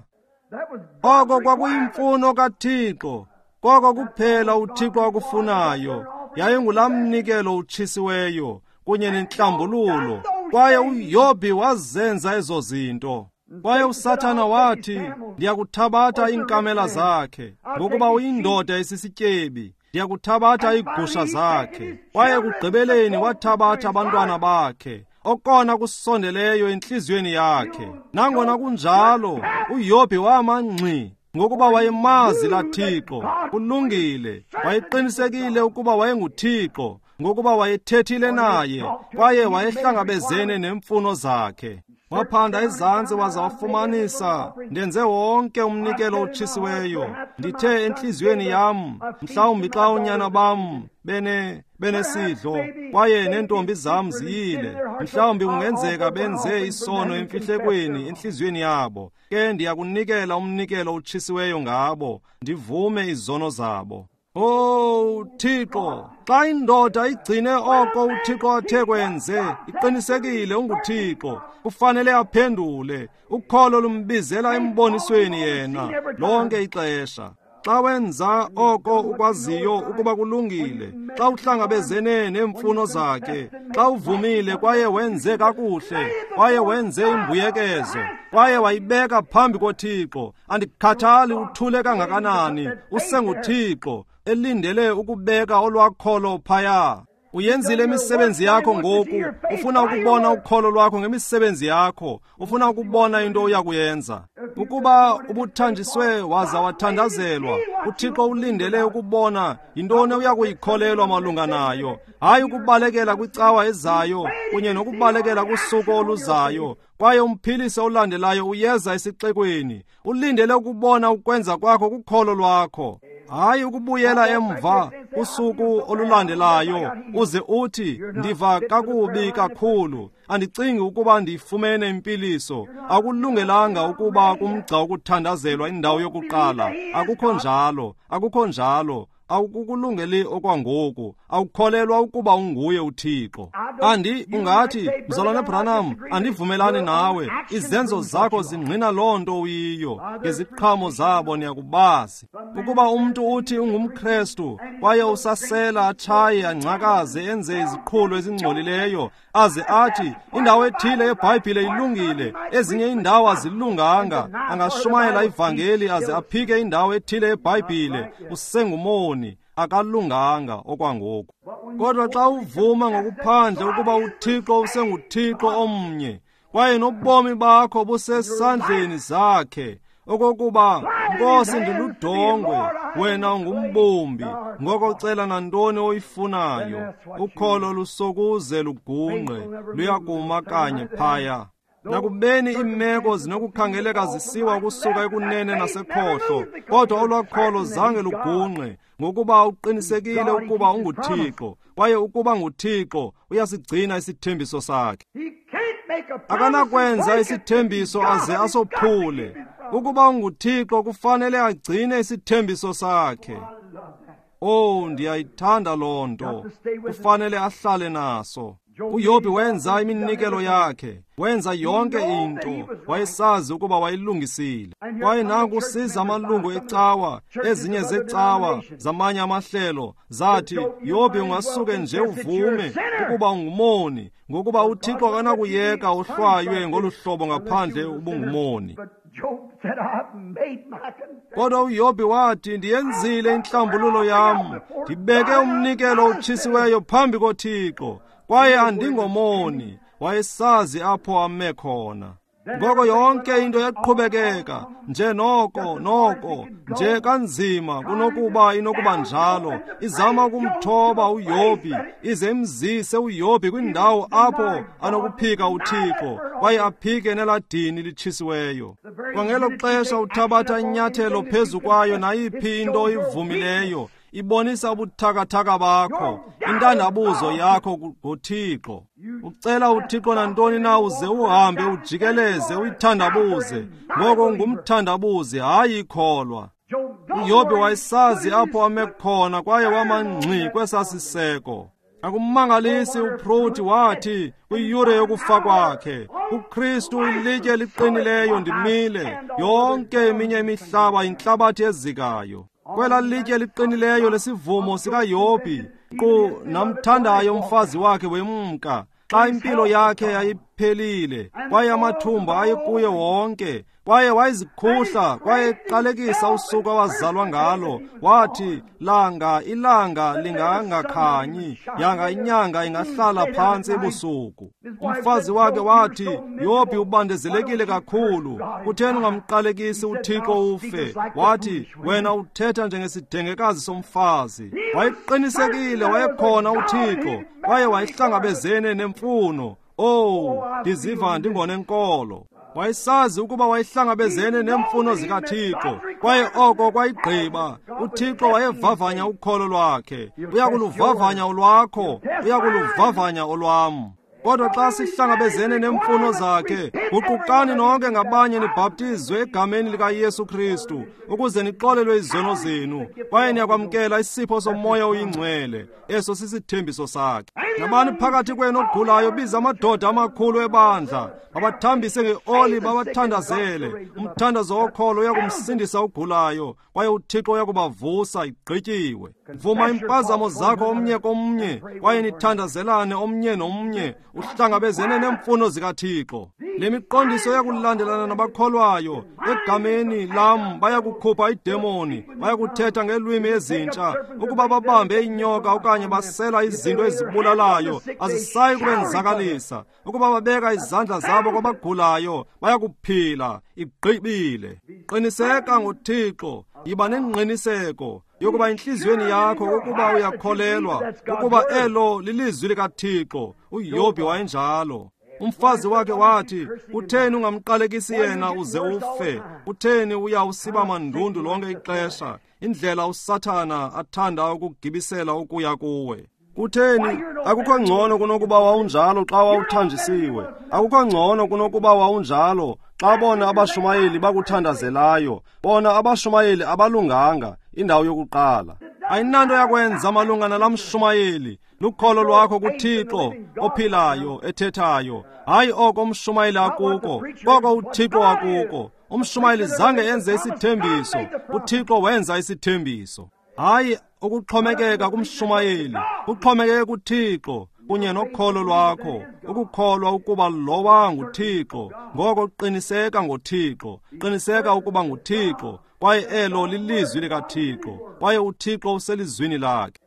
Oko kwakuyimfuno kaThixo, koko kuphela uThixo akufunayo, yayingulaa mnikelo utshisiweyo kunye nentlambululo. Kwaye uYobhi wazenza ezo zinto. Kwaye uSathana wathi, ndiyakuthabatha iinkamela zakhe, ngokuba uyindoda esisityebi, ndiyakuthabatha iigusha zakhe. Kwaye ekugqibeleni wathabatha abantwana bakhe, okona kusondeleyo entliziyweni yakhe. Nangona kunjalo, uYobhi wama ngxi, ngokuba wayemazi laa Thixo. Kulungile, wayeqinisekile ukuba wayenguThixo. Ngokuba wayethethile naye, kwaye wayehlangabezene neemfuno zakhe. Waphanda ezantsi waza wafumanisa, ndenze wonke umnikelo otshisiweyo. Ndithe entliziyweni yam, mhlawumbi xa oonyana bam bene benesidlo kwaye neentombi zam ziyile, mhlawumbi kungenzeka benze isono emfihlekweni entliziyweni yabo. Ke ndiyakunikela umnikelo otshisiweyo ngabo, ndivume izono zabo. Oh Thixo, xa indoda igcine oko uThixo athe kwenze, iqinisekile unguThixo, kufanele aphendule. Ukholo lumbizela embonisweni yena lonke ixesha. Xa wenza oko ukwaziyo ukuba kulungile, xa uhlangabezene neemfuno zakhe, xa uvumile kwaye wenze kakuhle, kwaye wenze imbuyekezo, kwaye wayibeka phambi koThixo, andikhathali uthule kangakanani, usenguThixo elindele ukubeka olwakholo phaya. Uyenzile imisebenzi yakho ngoku, ufuna ukubona ukholo lwakho ngemisebenzi yakho, ufuna ukubona into oyakuyenza. Ukuba ubuthanjiswe waza wathandazelwa, uThixo ulindele ukubona yintoni oyakuyikholelwa malunga nayo, hayi ukubalekela kwicawa ezayo kunye nokubalekela kusuku oluzayo. Kwaye umphilisi olandelayo uyeza esixekweni, ulindele ukubona ukwenza kwakho kukholo lwakho, hayi ukubuyela emva kusuku olulandelayo uze uthi ndiva kakubi kakhulu, andicingi ukuba ndifumene impiliso. Akulungelanga ukuba kumgca wokuthandazelwa indawo yokuqala. Akukho njalo, akukho njalo. Awukukulungeli okwangoku, awukholelwa ukuba unguye uThixo. Andi ungathi, Mzalwane Branham, andivumelani nawe. Izenzo zakho zingqina loo nto uyiyo, ngeziqhamo zabo niyakubazi. Ukuba umntu uthi ungumKrestu kwaye usasela, atshaye, angcakaze, enze iziqhulo ezingcolileyo, aze athi indawo ethile yeBhayibhile ilungile, ezinye iindawo azilunganga, angashumayela ivangeli aze aphike indawo ethile yeBhayibhile, usengumoni, akalunganga okwangoku. Kodwa xa uvuma ngokuphandle ukuba uThixo usenguThixo omnye, kwaye nobomi bakho busesandleni zakhe, okokuba Nkosi ndiludongwe, wena ungumbumbi, ngoko cela nantoni oyifunayo. Ukholo lusokuze lugungqe, luyakuma kanye phaya. Nakubeni iimeko zinokukhangeleka zisiwa ukusuka ekunene nasekhohlo, kodwa olwakholo zange lugungqe, ngokuba uqinisekile ukuba unguThixo, kwaye ukuba nguThixo uyasigcina isithembiso sakhe. Akanakwenza isithembiso aze asophule. Ukuba unguThixo kufanele agcine isithembiso sakhe. Oh, ndiyayithanda loo nto. Kufanele ahlale naso. uYobhi wenza iminikelo yakhe, wenza yonke into, wayesazi ukuba wayilungisile. Kwaye nanku siza amalungu ecawa, ezinye zecawa zamanye amahlelo zathi, Yobhi ungasuke nje uvume ukuba ungumoni, ngokuba uThixo akanakuyeka uhlwaywe ngolu hlobo ngaphandle ubungumoni. Kodwa uYobhi wathi, ndiyenzile intlambululo yam, ndibeke umnikelo otshisiweyo phambi koThixo, kwaye andingomoni. Wayesazi apho ame khona. Ngoko yonke into yaqhubekeka nje noko noko nje kanzima kunokuba inokuba njalo, izama ukumthoba uYobhi, ize imzise uYobhi kwindawo apho anokuphika uThixo kwaye aphike neladini litshisiweyo. Kwangelo xesha uthabatha inyathelo phezu kwayo nayiphi into oyivumileyo, ibonisa ubuthakathaka bakho, intandabuzo yakho ngoThixo. Ucela uThixo nantoni na uze uhambe ujikeleze uyithandabuze, ngoko ungumthandabuzi, hayi ikholwa. uYobhi wayesazi apho ame khona kwaye wama ngxi kwesasiseko. Akumangalisi uPruthi wathi kwiyure yokufa kwakhe, uKristu ilitye eliqinileyo ndimile, yonke eminye imihlaba yintlabathi ezikayo. Kwela litye liqinileyo lesivumo sikaYobhi, nkqu namthandayo umfazi wakhe wemka, xa impilo yakhe yayiphelile, kwaye amathumba ayekuye wonke, Kwaye wayezikhuhla, kwaye eqalekisa usuku awazalwa ngalo. Wathi, langa ilanga lingangakhanyi, yanga inyanga ingahlala phantsi ebusuku. Umfazi wakhe wathi, Yobhi ubandezelekile kakhulu, kutheni ungamqalekisi uThixo ufe? Wathi, wena uthetha njengesidengekazi somfazi. Wayeqinisekile wayekhona uThixo, kwaye wayehlangabezene nemfuno. Oh, ndiziva ndingonenkolo. Wayesazi ukuba wayehlangabezene neemfuno zikaThixo, kwaye oko kwayigqiba. UThixo wayevavanya ukholo lwakhe. Uyakuluvavanya olwakho, uyakuluvavanya olwam. Kodwa xa sihlangabezene neemfuno zakhe, guqukani nonke ngabanye nibhaptizwe egameni likaYesu Kristu ukuze nixolelwe izono zenu, kwaye niyakwamkela isipho soMoya oyiNgcwele. Eso sisithembiso sakhe. Nabani phakathi kwenu ogulayo, biza amadoda amakhulu ebandla, babathambise ngeoli, babathandazele. Umthandazo wokholo uyakumsindisa ogulayo, kwaye uThixo uyakubavusa. Igqityiwe. Vuma impazamo zakho omnye komnye, kwaye nithandazelane omnye nomnye, uhlangabezene neemfuno zikaThixo. Le miqondiso yakulandelana nabakholwayo. Egameni lam bayakukhupha idemoni, bayakuthetha ngeelwimi ezintsha. Ukuba babambe inyoka okanye basela izinto ezibulalayo, azisayi kubenzakalisa. Ukuba babeka izandla zabo kwabagulayo, bayakuphila. Igqibile. Qiniseka ngoThixo, yiba nengqiniseko yokuba enhliziyweni yakho ukuba uyakholelwa ukuba elo lilizwi likaThixo. uYobhi wayenjalo. Umfazi wakhe wathi, kutheni ungamqalekisi yena uze ufe? Kutheni uya usiba mandundu lonke ixesha? Indlela uSathana athanda ukugibisela ukuya kuwe. Kutheni? Akukho ngcono kunokuba wawunjalo xa wawuthanjisiwe. Akukho ngcono kunokuba wawunjalo xa bona abashumayeli bakuthandazelayo. Bona abashumayeli abalunganga, indawo yokuqala. Ayinanto yakwenza malunga nalamshumayeli. Lukholo lwakho kuThixo ophilayo ethethayo. Hayi oko umshumayeli akuko, koko uThixo akuko. Umshumayeli zange enze isithembiso, uThixo wenza isithembiso. Hayi ukuxhomekeka kumshumayeli, kuxhomekeke kuThixo kunye nokholo lwakho, ukukholwa ukuba lowa nguThixo. Ngoko qiniseka ngoThixo, qiniseka ukuba nguThixo, kwaye elo lilizwi likaThixo, kwaye uThixo uselizwini lakhe.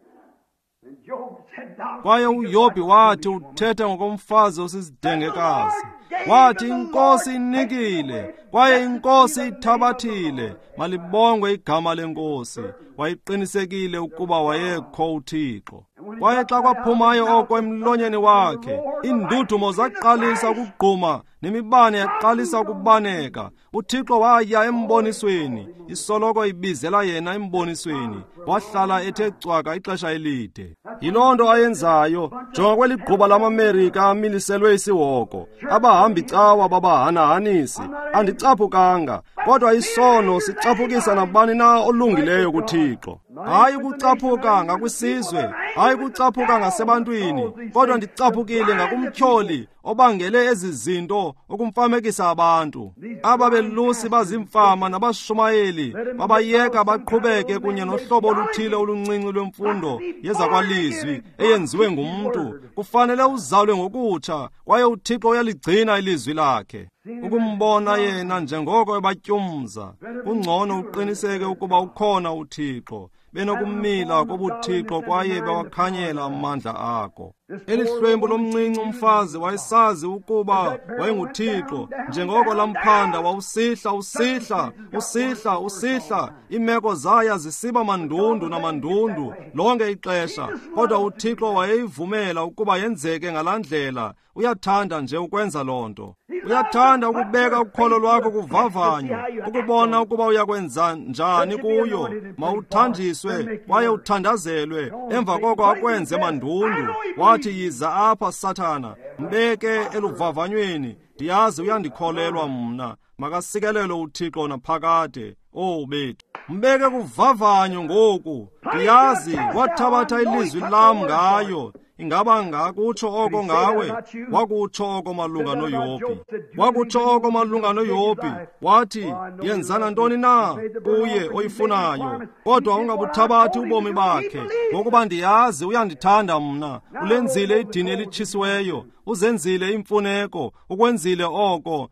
Kwaye uYobhi wathi, uthetha ngokomfazi osisidengekazi. Wathi, iNkosi inikile, kwaye iNkosi ithabathile, malibongwe igama leNkosi. Wayeqinisekile ukuba wayekho uThixo. Kwaye xa kwaphumayo oko emlonyeni wakhe, iindudumo zaqalisa ukugquma nemibane yaqalisa ukubaneka. uThixo waya embonisweni, isoloko ibizela yena embonisweni. Wahlala ethe cwaka ixesha elide. Yiloo nto ayenzayo. Jonga kweli gquba lamaMerika amiliselwe isihoko, abahambi cawa babahanahanisi. Andicaphukanga, kodwa isono sicaphukisa nabani na olungileyo kuThixo. Hayi ukucaphuka ngakwisizwe, hayi ukucaphuka ngasebantwini, kodwa ndicaphukile ngakumtyholi obangele ezi zinto ukumfamekisa abantu. Aba belusi bazimfama nabashumayeli babayeka baqhubeke kunye nohlobo oluthile oluncinci lwemfundo yezakwalizwi eyenziwe ngumntu. Kufanele uzalwe ngokutsha, kwaye uThixo uyaligcina ilizwi lakhe. Ukumbona yena njengoko ebatyumza, kungcono uqiniseke ukuba ukhona uThixo. Benokumila kobuThixo kwaye bawakhanyela amandla akho. Eli hlwempu lomncinci umfazi wayesazi ukuba wayenguThixo. Njengoko lamphanda wawusihla usihla usihla usihla, iimeko zaya zisiba mandundu namandundu lonke ixesha, kodwa uThixo wayeyivumela ukuba yenzeke ngalaa ndlela. Uyathanda nje ukwenza loo nto. Uyathanda ukubeka ukholo lwakho kuvavanyo, ukubona ukuba uyakwenza njani kuyo. Mawuthanjiswe kwaye uthandazelwe, emva koko akwenze mandundu. Wathi, yiza apha Sathana, mbeke eluvavanyweni, ndiyazi uyandikholelwa mna. Makasikelelwe uThixo naphakade. Oh bethu, mbeke kuvavanyo ngoku. Ndiyazi wathabatha ilizwi lam ngayo. Ingaba ngakutsho oko ngawe? Wakutsho oko malunga noYobhi. Wakutsho oko malunga noYobhi. Wathi, yenzana ntoni na kuye oyifunayo, kodwa ungabuthabathi ubomi bakhe, ngokuba ndiyazi uyandithanda mna. Ulenzile idini elitshisiweyo, Uzenzile imfuneko, ukwenzile oko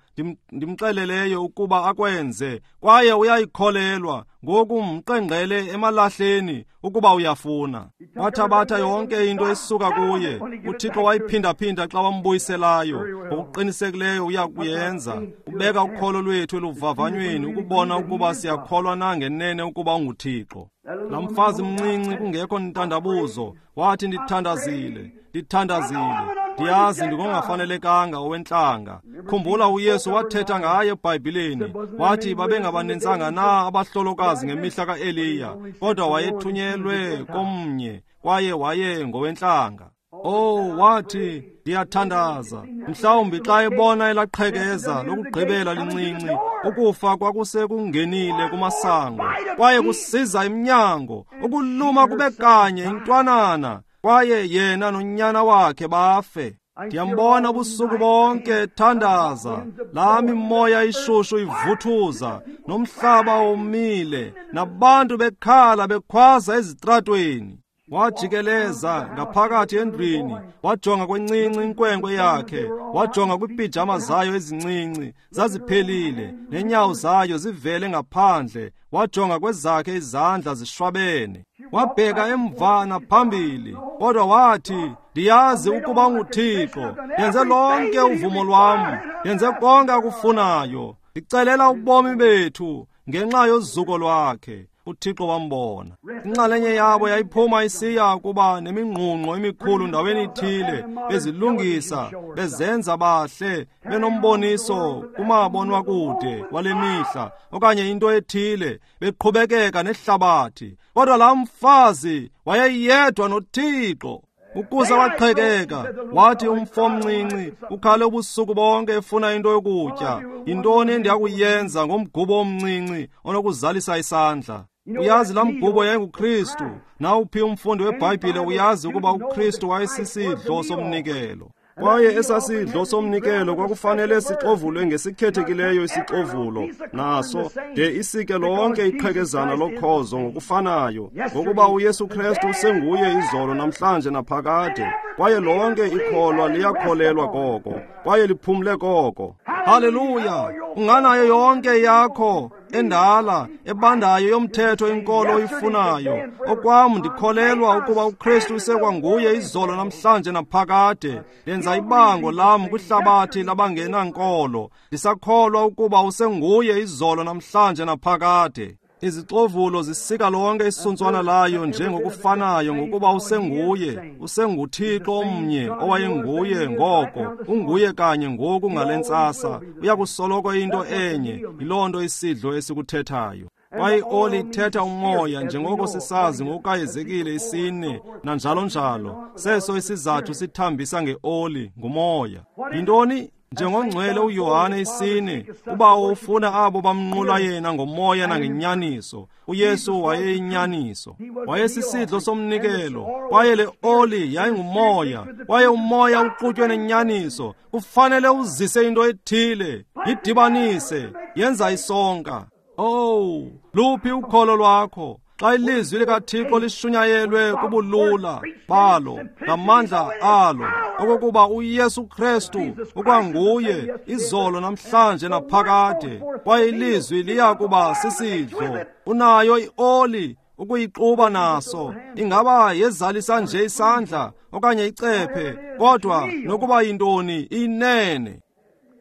ndimxeleleyo ukuba akwenze, kwaye uyayikholelwa. Ngoku mqengqele emalahleni ukuba uyafuna. Wathabatha yonke into esuka kuye. UThixo wayiphindaphinda xa wambuyiselayo. Ngokuqinisekileyo uya kuyenza. Ubeka ukholo lwethu eluvavanyweni ukubona ukuba siyakholwa na ngenene ukuba unguThixo. Laa mfazi mncinci kungekho ntandabuzo wathi, ndithandazile, ndithandazile, ndiyazi ndingongafanelekanga owentlanga. Khumbula uYesu wathetha ngaye eBhayibhileni, wathi babengabaninzanga na abahlolokazi ngemihla kaEliya, kodwa wayethunyelwe komnye kwaye waye ngowentlanga. Oh, wathi, ndiyathandaza. Mhlawumbi xa ebona elaqhekeza lokugqibela lincinci, ukufa kwakusekungenile kumasango, kwaye kusiza emnyango, ukuluma kube kanye intwanana, kwaye yena nonyana wakhe bafe. Ndiyambona ubusuku bonke ethandaza, laa mimoya ishushu ivuthuza, nomhlaba womile, nabantu bekhala bekhwaza ezitratweni. Wajikeleza ngaphakathi endlwini, wajonga kwencinci inkwenkwe yakhe, wajonga kwiipijama zayo ezincinci, zaziphelile, nenyawo zayo zivele ngaphandle, wajonga kwezakhe izandla zishwabene. Wabheka emva naphambili, kodwa wathi, ndiyazi ukuba unguThixo, ndenze lonke uvumo lwam, ndenze konke akufunayo, ndicelela ubomi bethu ngenxa yozuko lwakhe. UThixo wambona. Inxalenye yabo yayiphuma isiya kuba nemingqungqo emikhulu ndaweni ithile, bezilungisa, bezenza bahle, benomboniso kumabonwakude wale mihla okanye into ethile, beqhubekeka nehlabathi. Kodwa laa mfazi wayeyedwa noThixo. Ukuze waqhekeka, wathi umfo omncinci ukhale ubusuku bonke efuna into yokutya. Yintoni endiyakuyenza ngomgubo omncinci onokuzalisa isandla? Uyazi laa mgubo yayinguKristu. Nawuphi umfundi weBhayibhile uyazi ukuba uKristu wayesisidlo somnikelo. Kwaye esasidlo somnikelo kwakufanele sixovulwe ngesikhethekileyo isixovulo, naso de isike lonke iqhekezana lokhozo ngokufanayo, ngokuba uYesu Kristu usenguye izolo namhlanje naphakade, kwaye lonke ikholwa liyakholelwa koko, kwaye liphumle koko. Haleluya! Unganayo yonke yakho endala ebandayo yomthetho inkolo oyifunayo. Okwam ndikholelwa ukuba uKristu usekwanguye izolo namhlanje naphakade. Ndenza ibango lam kwihlabathi labangenankolo, ndisakholwa ukuba usenguye izolo namhlanje naphakade. Izixovulo zisika lonke isuntswana layo njengokufanayo, ngokuba usenguye, usenguThixo omnye owayenguye ngoko, unguye kanye ngoku ngale ntsasa. Uyakusoloko into enye, yiloo nto isidlo esikuthethayo. Kwaye ioli ithetha umoya, njengoko sisazi ngokukaHezekile isine nanjalo njalo. Seso isizathu sithambisa ngeoli, ngumoya. Yintoni? Njengongcwele uYohane isine, uBawo ufuna abo bamnqula yena ngomoya nangenyaniso. uYesu wayeyinyaniso, wayesisidlo somnikelo, kwaye le oli yayingumoya, kwaye umoya uxutywe nenyaniso. Kufanele uzise into ethile, yidibanise, yenza isonka. Oh, luphi ukholo lwakho? Xa ilizwi likaThixo lishunyayelwe kubulula balo ngamandla alo, okokuba uYesu Kristu ukwanguye izolo namhlanje naphakade, kwaye ilizwi liya kuba sisidlo. Unayo ioli ukuyixuba naso, ingaba yezalisa nje isandla okanye icephe, kodwa nokuba yintoni inene.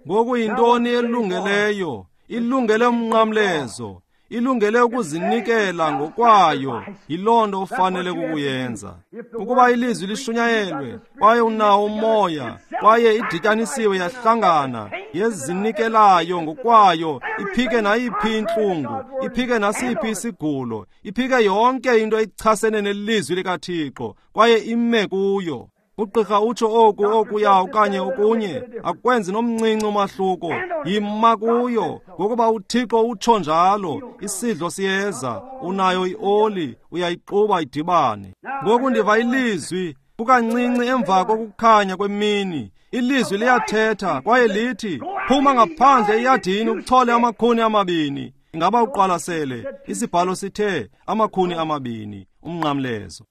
Ngoku yintoni elungeleyo? Ilungele umnqamlezo, ilungele ukuzinikela ngokwayo. Yiloo nto ofanele kukuyenza. Ukuba ilizwi lishunyayelwe kwaye unawo umoya, kwaye idityanisiwe yahlangana, yezinikelayo ngokwayo, iphike nayiphi intlungu, iphike nasiphi isigulo, iphike yonke into echasene nelizwi likaThixo, kwaye ime kuyo. Ugqirha utsho oku okuya okanye okunye, akwenzi nomncinci umahluko. Yima kuyo, ngokuba uThixo utsho njalo. Isidlo siyeza, unayo ioli, uyayixuba idibane. Ngoku ndiva ilizwi kukancinci emva kokukhanya kwemini. Ilizwi liyathetha kwaye lithi, phuma ngaphandle eyadini uchole amakhuni amabini. Ingaba uqwalasele? Isibhalo sithe amakhuni amabini, umnqamlezo.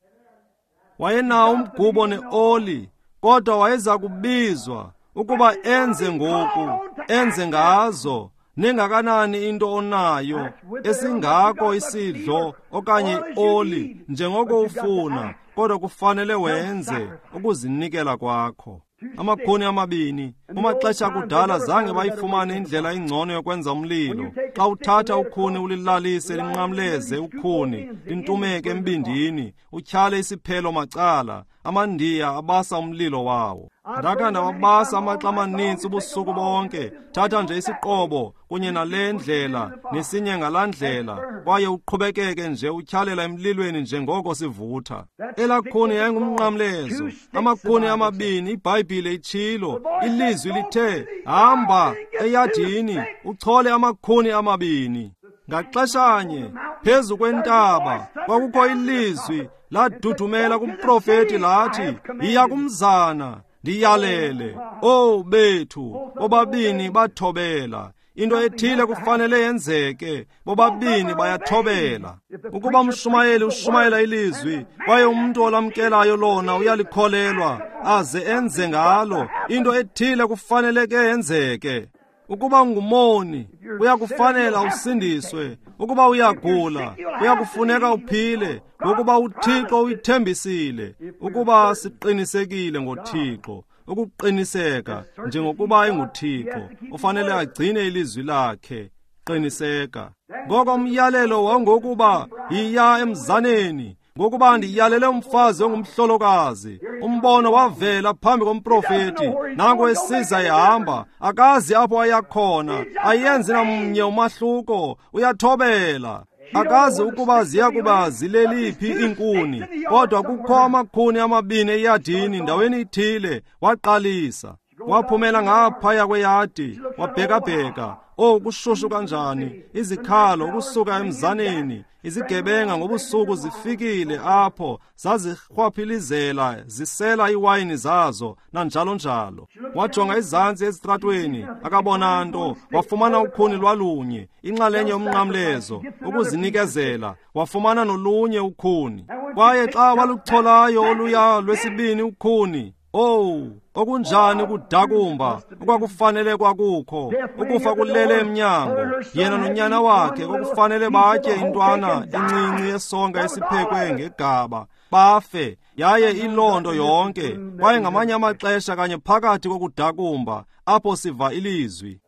Wayenawo umgubo neoli, Kodwa wayeza kubizwa ukuba enze ngoku, enze ngazo. Ningakanani into onayo, esingako isidlo okanye ioli njengoko ufuna, kodwa kufanele wenze ukuzinikela kwakho. Amakhuni amabini. Kumaxesha akudala zange bayifumane indlela engcono yokwenza umlilo. Xa uthatha ukhuni ulilalise linqamleze ukhuni, lintumeke embindini, utyhale isiphelo macala, amaNdiya abasa umlilo wawo. Ndakha ndawabasa amaxa amaninzi ubusuku bonke. Thatha nje isiqobo kunye nale ndlela nesinye ngalaa ndlela, kwaye uqhubekeke nje utyhalela emlilweni njengoko sivutha. Elaa khuni yayingumnqamlezo, amakhuni amabini. IBhayibhile itshilo, ilizwi lithe, hamba eyadini uchole amakhuni amabini. Ngaxeshanye phezu kwentaba kwakukho ilizwi ladudumela kumprofeti lathi, yiya kumzana ndiyalele. Oh bethu, bobabini bathobela. Into ethile kufanele yenzeke, bobabini bayathobela. Ukuba umshumayeli ushumayela ilizwi, kwaye umuntu olamkelayo lona uyalikholelwa aze enze ngalo, into ethile kufanele ke yenzeke. Ukuba ungumoni, uyakufanela usindiswe. Ukuba uyagula, uyakufuneka uphile, ngokuba uThixo uyithembisile. Ukuba siqinisekile ngoThixo, ukuqiniseka njengokuba enguThixo, ufanele agcine ilizwi lakhe. Qiniseka. Ngoko umyalelo wangokuba yiya emzaneni, ngokuba ndiyalele umfazi ongumhlolokazi. Umbono wavela phambi komprofeti, nango esiza ehamba, akazi apho ayakhona, ayenzi namnye umahluko, uyathobela. Akazi ukuba ziya kuba zileliphi iinkuni, kodwa kukho amakhuni amabini eyadini ndaweni ithile. Waqalisa, waphumela ngaphaya kweyadi, wabhekabheka. Oh, kushushu kanjani! Izikhalo ukusuka emzaneni, izigebenga ngobusuku zifikile apho, zazirhwaphilizela zisela iwayini zazo nanjalo njalo. Wajonga izantsi ezitratweni, akabona nto. Wafumana ukhuni lwalunye, inxalenye yomnqamlezo, ukuzinikezela. Wafumana nolunye ukhuni, kwaye xa walucholayo oluya lwesibini ukhuni, oh, okunjani ukudakumba okwakufanele kwakukho! Ukufa kulele emnyango. Yena nonyana wakhe kwakufanele batye intwana encinci yesonka esiphekwe ngegaba, bafe, yaye iloo nto yonke. Kwaye ngamanye amaxesha kanye phakathi kokudakumba apho siva ilizwi.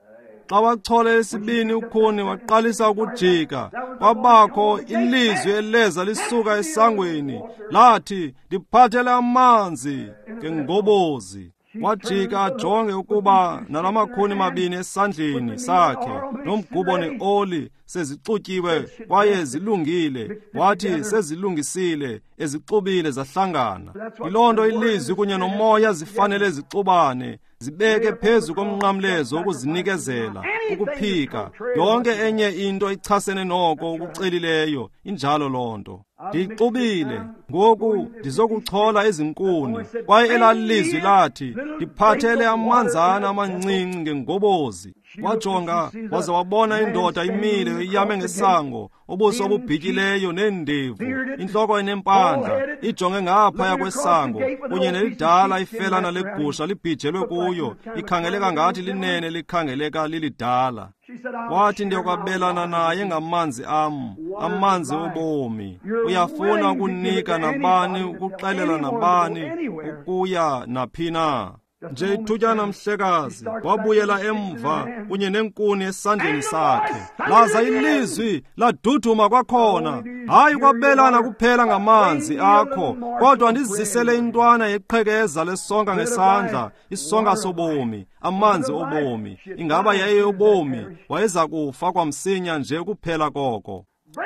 Xa wachola esibini ukhuni waqalisa ukujika, kwabakho ilizwi eleza lisuka esangweni lathi, ndiphathele amanzi ngengobozi. Wajika ajonge ukuba nalamakhuni mabini esandleni sakhe nomgubo neoli sezixutyiwe kwaye zilungile. Wathi sezilungisile, ezixubile zahlangana. Yiloo nto ilizwi kunye nomoya zifanele zixubane, zibeke phezu komnqamlezo ukuzinikezela, ukuphika yonke enye into ichasene noko ukucelileyo. Injalo loo nto. Ndiyixubile, ngoku ndizokuchola ezinkuni. Kwaye elaa lizwi lathi, ndiphathele amanzana amancinci ngengobozi. Wajonga waze wabona indoda imile iyame ngesango, ubuso obubhityileyo neendevu, intloko enempandla, ijonge ngaphaya kwesango, kunye nelidala ifelana legusha libhijelwe kuyo, ikhangeleka ngathi linene, likhangeleka lilidala. Wathi, ndiyokwabelana naye ngamanzi am, amanzi obomi. Uyafuna ukunika nabani, ukuxelela nabani, ukuya naphi na. Nje ithutyana mhlekazi, wabuyela emva kunye nenkuni esandleni sakhe. Laza ilizwi laduduma kwakhona, hayi kwabelana kuphela ngamanzi akho, kodwa ndizisele intwana yeqhekeza lesonka ngesandla, isonka sobomi, amanzi obomi. Ingaba yayeyobomi? Wayeza kufa kwamsinya nje kuphela koko.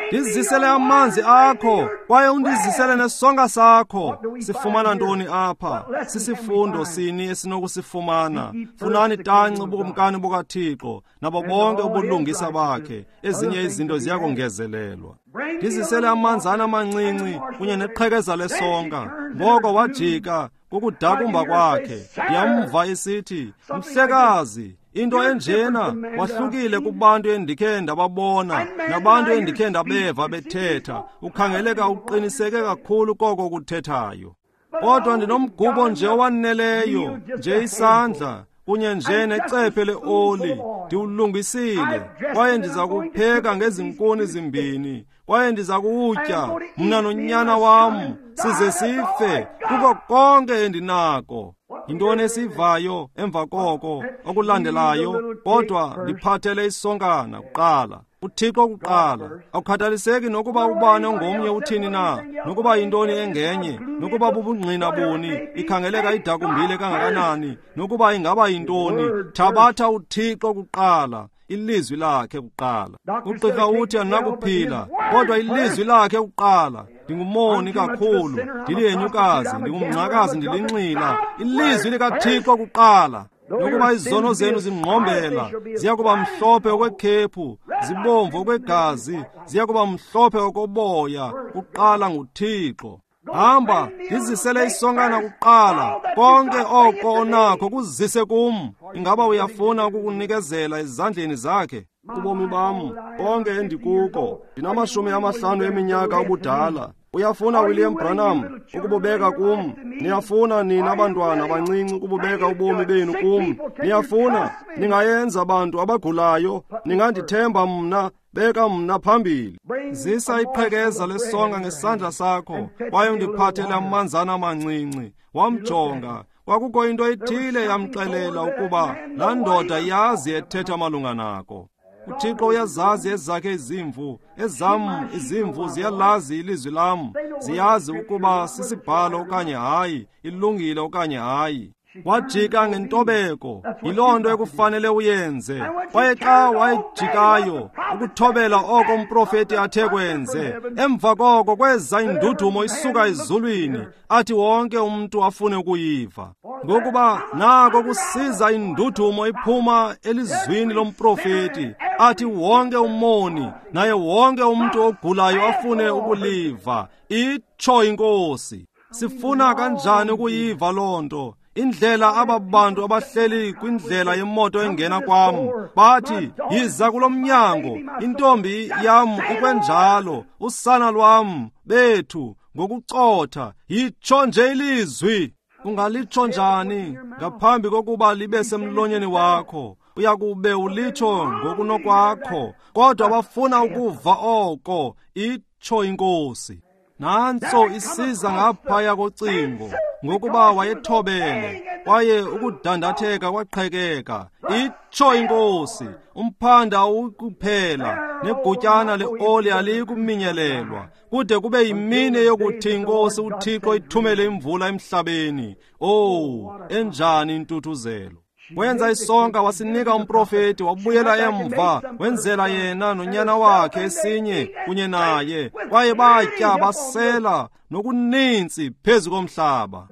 Ndizisele amanzi akho, kwaye undizisele nesonka sakho. Sifumana ntoni apha? Sisifundo sini esinokusifumana? Funani tanci ubukumkani bukaThixo nabo bonke ubulungisa bakhe, ezinye izinto ziyakongezelelwa. Ndizisele amanzana amancinci kunye neqhekeza lesonka. Ngoko wajika kukudakumba kwakhe. Ndiyamva esithi, mhlekazi, into enjena, wahlukile kubantu endikhe ndababona nabantu endikhe ndabeva bethetha. Ukhangeleka uqiniseke kakhulu koko kuthethayo. Kodwa ndinomgubo nje owaneleyo, nje isandla kunye nje necephe leoli, ndiwulungisile, kwaye ndiza kupheka ngezinkuni zimbini, kwaye ndiza kuwutya mna nonyana wam size sife kuko konke endinako. Yintoni esivayo emva koko okulandelayo? Kodwa ndiphathele isonkana kuqala, uThixo kuqala. Akukhathaliseki nokuba ubani ongomnye uthini na, nokuba yintoni engenye, nokuba bubungqina buni, ikhangeleka idakumbile kangakanani, nokuba ingaba yintoni, thabatha uThixo kuqala, ilizwi lakhe kuqala. Ugqirha uthi andinakuphila, kodwa ilizwi lakhe kuqala. Ndingumoni kakhulu, ndilihenyukazi, ndingumngcakazi, ndilinxila. Ilizwi likaThixo kuqala. Nokuba izono zenu zingqombela, ziya kuba mhlophe okwekhephu, zibomvu okwegazi, ziya kuba mhlophe okoboya. Kuqala nguThixo. Hamba, ndizisele isonkana kuqala. Konke oko onakho kuzise kum. Ingaba uyafuna ukukunikezela ezandleni zakhe? Ubomi bam, konke endikuko, ndinamashumi amahlanu eminyaka ubudala. Uyafuna William Branham ukububeka kum? Niyafuna nina abantwana abancinci ukububeka ubomi benu kum? Niyafuna? Ningayenza bantu abagulayo, ningandithemba mna, beka mna phambili. Zisa iqhekeza lesonka ngesandla sakho, kwaye undiphathele amanzana amancinci. Wamjonga. Kwakukho into ethile yamxelela ukuba laa ndoda yazi ethetha malunga nako. uThixo uyazazi ezakhe izimvu, ezam izimvu ziyalazi ilizwi lam, ziyazi ukuba sisibhalo okanye hayi, ilungile okanye hayi. Wajika ngentobeko, yiloo nto ekufanele uyenze. Kwaye xa wayejikayo ukuthobela oko umprofeti athe kwenze, emva koko kweza indudumo isuka ezulwini, athi wonke umntu afune ukuyiva. Ngokuba nako kusiza indudumo iphuma elizwini lomprofeti, athi wonke umoni naye wonke umntu ogulayo afune ukuliva. Itsho iNkosi. Sifuna kanjani ukuyiva loo nto? Indlela aba bantu abahleli kwindlela yemoto engena kwam bathi, yiza kulo mnyango, intombi yam ikwenjalo, usana lwam bethu, ngokucotha, yitsho nje ilizwi. Ungalitsho njani ngaphambi kokuba libe semlonyeni wakho? Uyakube ulitsho ngokunokwakho, kodwa bafuna ukuva oko. Itsho iNkosi. Nantso isiza ngaphaya kocingo, ngokuba wayethobele, kwaye ukudandatheka kwaqhekeka. Itsho iNkosi. Umphanda awukuphela, negutyana leoli aliyikuminyelelwa, kude kube yimini yokuthi iNkosi uThixo ithumele imvula emhlabeni. Oh, enjani intuthuzelo! Wenza isonka wasinika umprofeti, wabuyela emva, wenzela yena nonyana wakhe esinye kunye naye, kwaye batya basela nokuninzi phezu komhlaba.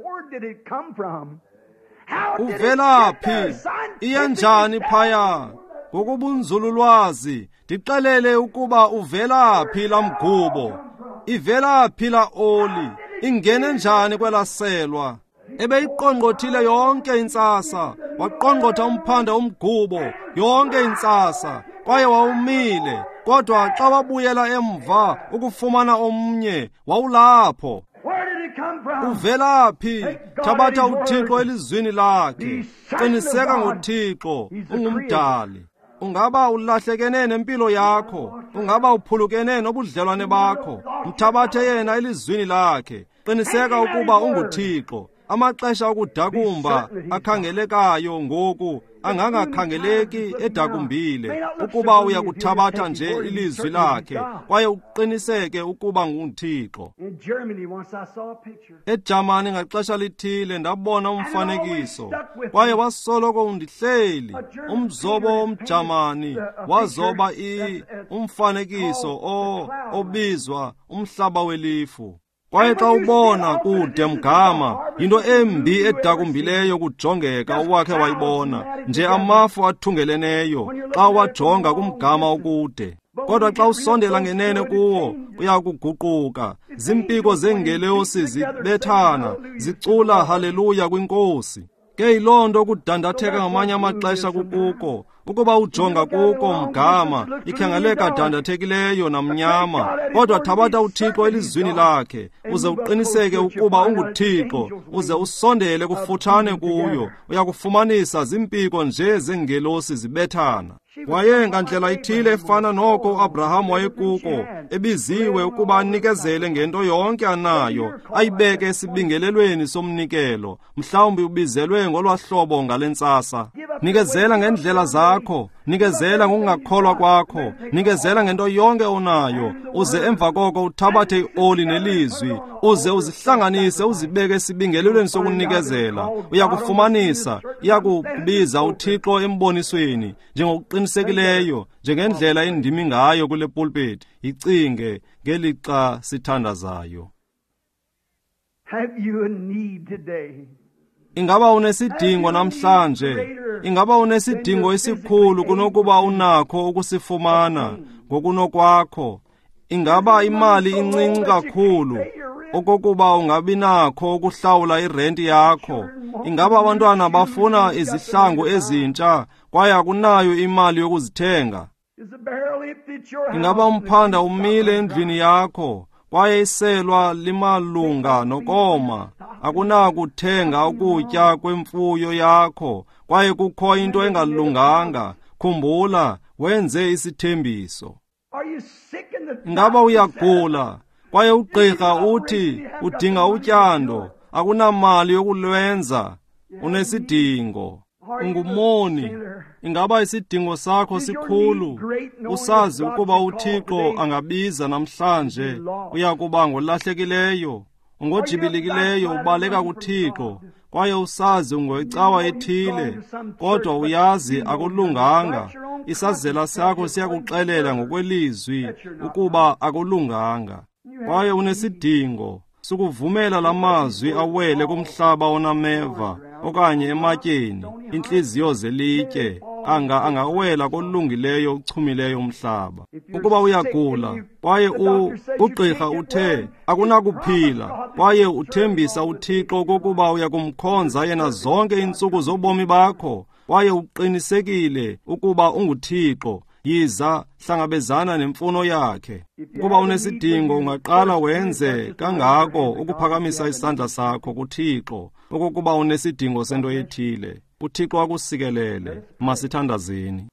Uvela phi? Iyenjani phaya? Ngokubunzululwazi, ndixelele ukuba uvela phi la mgubo, ivela phi la oli, ingene njani kwelaselwa? Ebeyiqongqothile yonke intsasa, waqongqotha umphanda umgubo yonke intsasa, kwaye wawumile. Kodwa xa wabuyela emva ukufumana omnye, wawulapho. Uvela phi? Thabatha uThixo elizwini lakhe. Qiniseka ngoThixo, ungumdali. Ungaba ulahlekene nempilo yakho, ungaba uphulukene nobudlelwane bakho, mthabathe yena elizwini lakhe. Qiniseka ukuba unguThixo. Amaxesha okudakumba akhangelekayo ngoku angangakhangeleki edakumbile, ukuba uyakuthabatha nje ilizwi lakhe kwaye uqiniseke ukuba nguThixo. EJamani ngaxesha lithile ndabona umfanekiso, kwaye wasoloko undihleli. Umzobo womJamani wazoba i umfanekiso o obizwa umhlaba welifu. Kwaye xa ubona kude mgama, yinto embi edakumbileyo kujongeka owakhe wayibona, nje amafu athungeleneyo xa wajonga kumgama okude. Kodwa xa usondela ngenene kuwo, uyakuguquka. Zimpiko zeengelosi zibethana, zicula haleluya kwiNkosi. Ke yiloo nto kudandatheka ngamanye amaxesha kukuko, Ukuba ujonga kuko mgama, ikhangeleka dandathekileyo namnyama, kodwa thabatha uThixo elizwini lakhe, uze uqiniseke ukuba unguThixo, uze usondele kufutshane kuyo, uyakufumanisa zimpiko nje zengelosi zibethana. Waye ngandlela ithile efana noko uAbraham wayekuko, ebiziwe ukuba anikezele ngento yonke anayo, ayibeke esibingelelweni somnikelo. Mhlawumbi ubizelwe ngolwahlobo ngale ntsasa. Nikezela ngendlela zakho, nikezela ngokungakholwa kwakho, nikezela ngento yonke onayo, uze emva koko uthabathe ioli nelizwi, uze uzihlanganise uzibeke esibingelelweni sokunikezela. Uyakufumanisa, iyakubiza uThixo embonisweni, njengokuqinisekileyo, njengendlela endimi ngayo kule pulpit. Icinge ngelixa sithandazayo. Have you a need today? Ingaba unesidingo namhlanje? Ingaba unesidingo esikhulu kunokuba unakho ukusifumana ngokunokwakho? Ingaba imali incinci kakhulu okokuba ungabi nakho ukuhlawula irenti yakho? Ingaba abantwana bafuna izihlangu ezintsha kwaye akunayo imali yokuzithenga? Ingaba umphanda umile endlwini yakho kwaye iselwa limalunga nokoma? Akunakuthenga ukutya kwemfuyo yakho kwaye kukho into engalunganga. Khumbula, wenze isithembiso. Ingaba uyagula kwaye ugqirha uthi udinga utyando, akunamali yokulwenza? Unesidingo. Ungumoni. Ingaba isidingo sakho sikhulu, usazi ukuba uThixo angabiza namhlanje, uyakuba ngolahlekileyo, ungojibilikileyo, ubaleka kuThixo, kwaye usazi ungoyicawa ethile, kodwa uyazi akulunganga. Isazela sakho siyakuxelela ngokwelizwi ukuba akulunganga, kwaye unesidingo. Sukuvumela lamazwi awele kumhlaba onameva okanye ematyeni, intliziyo zelitye, anga angawela kolungileyo uchumileyo umhlaba. Ukuba uyagula kwaye ugqirha uthe akunakuphila, kwaye uthembisa uThixo kokuba uyakumkhonza yena zonke iintsuku zobomi bakho, kwaye uqinisekile ukuba unguThixo, yiza hlangabezana nemfuno yakhe. Ukuba unesidingo, ungaqala wenze kangako ukuphakamisa isandla sakho kuThixo okokuba unesidingo sento ethile. uThixo akusikelele. Masithandazeni.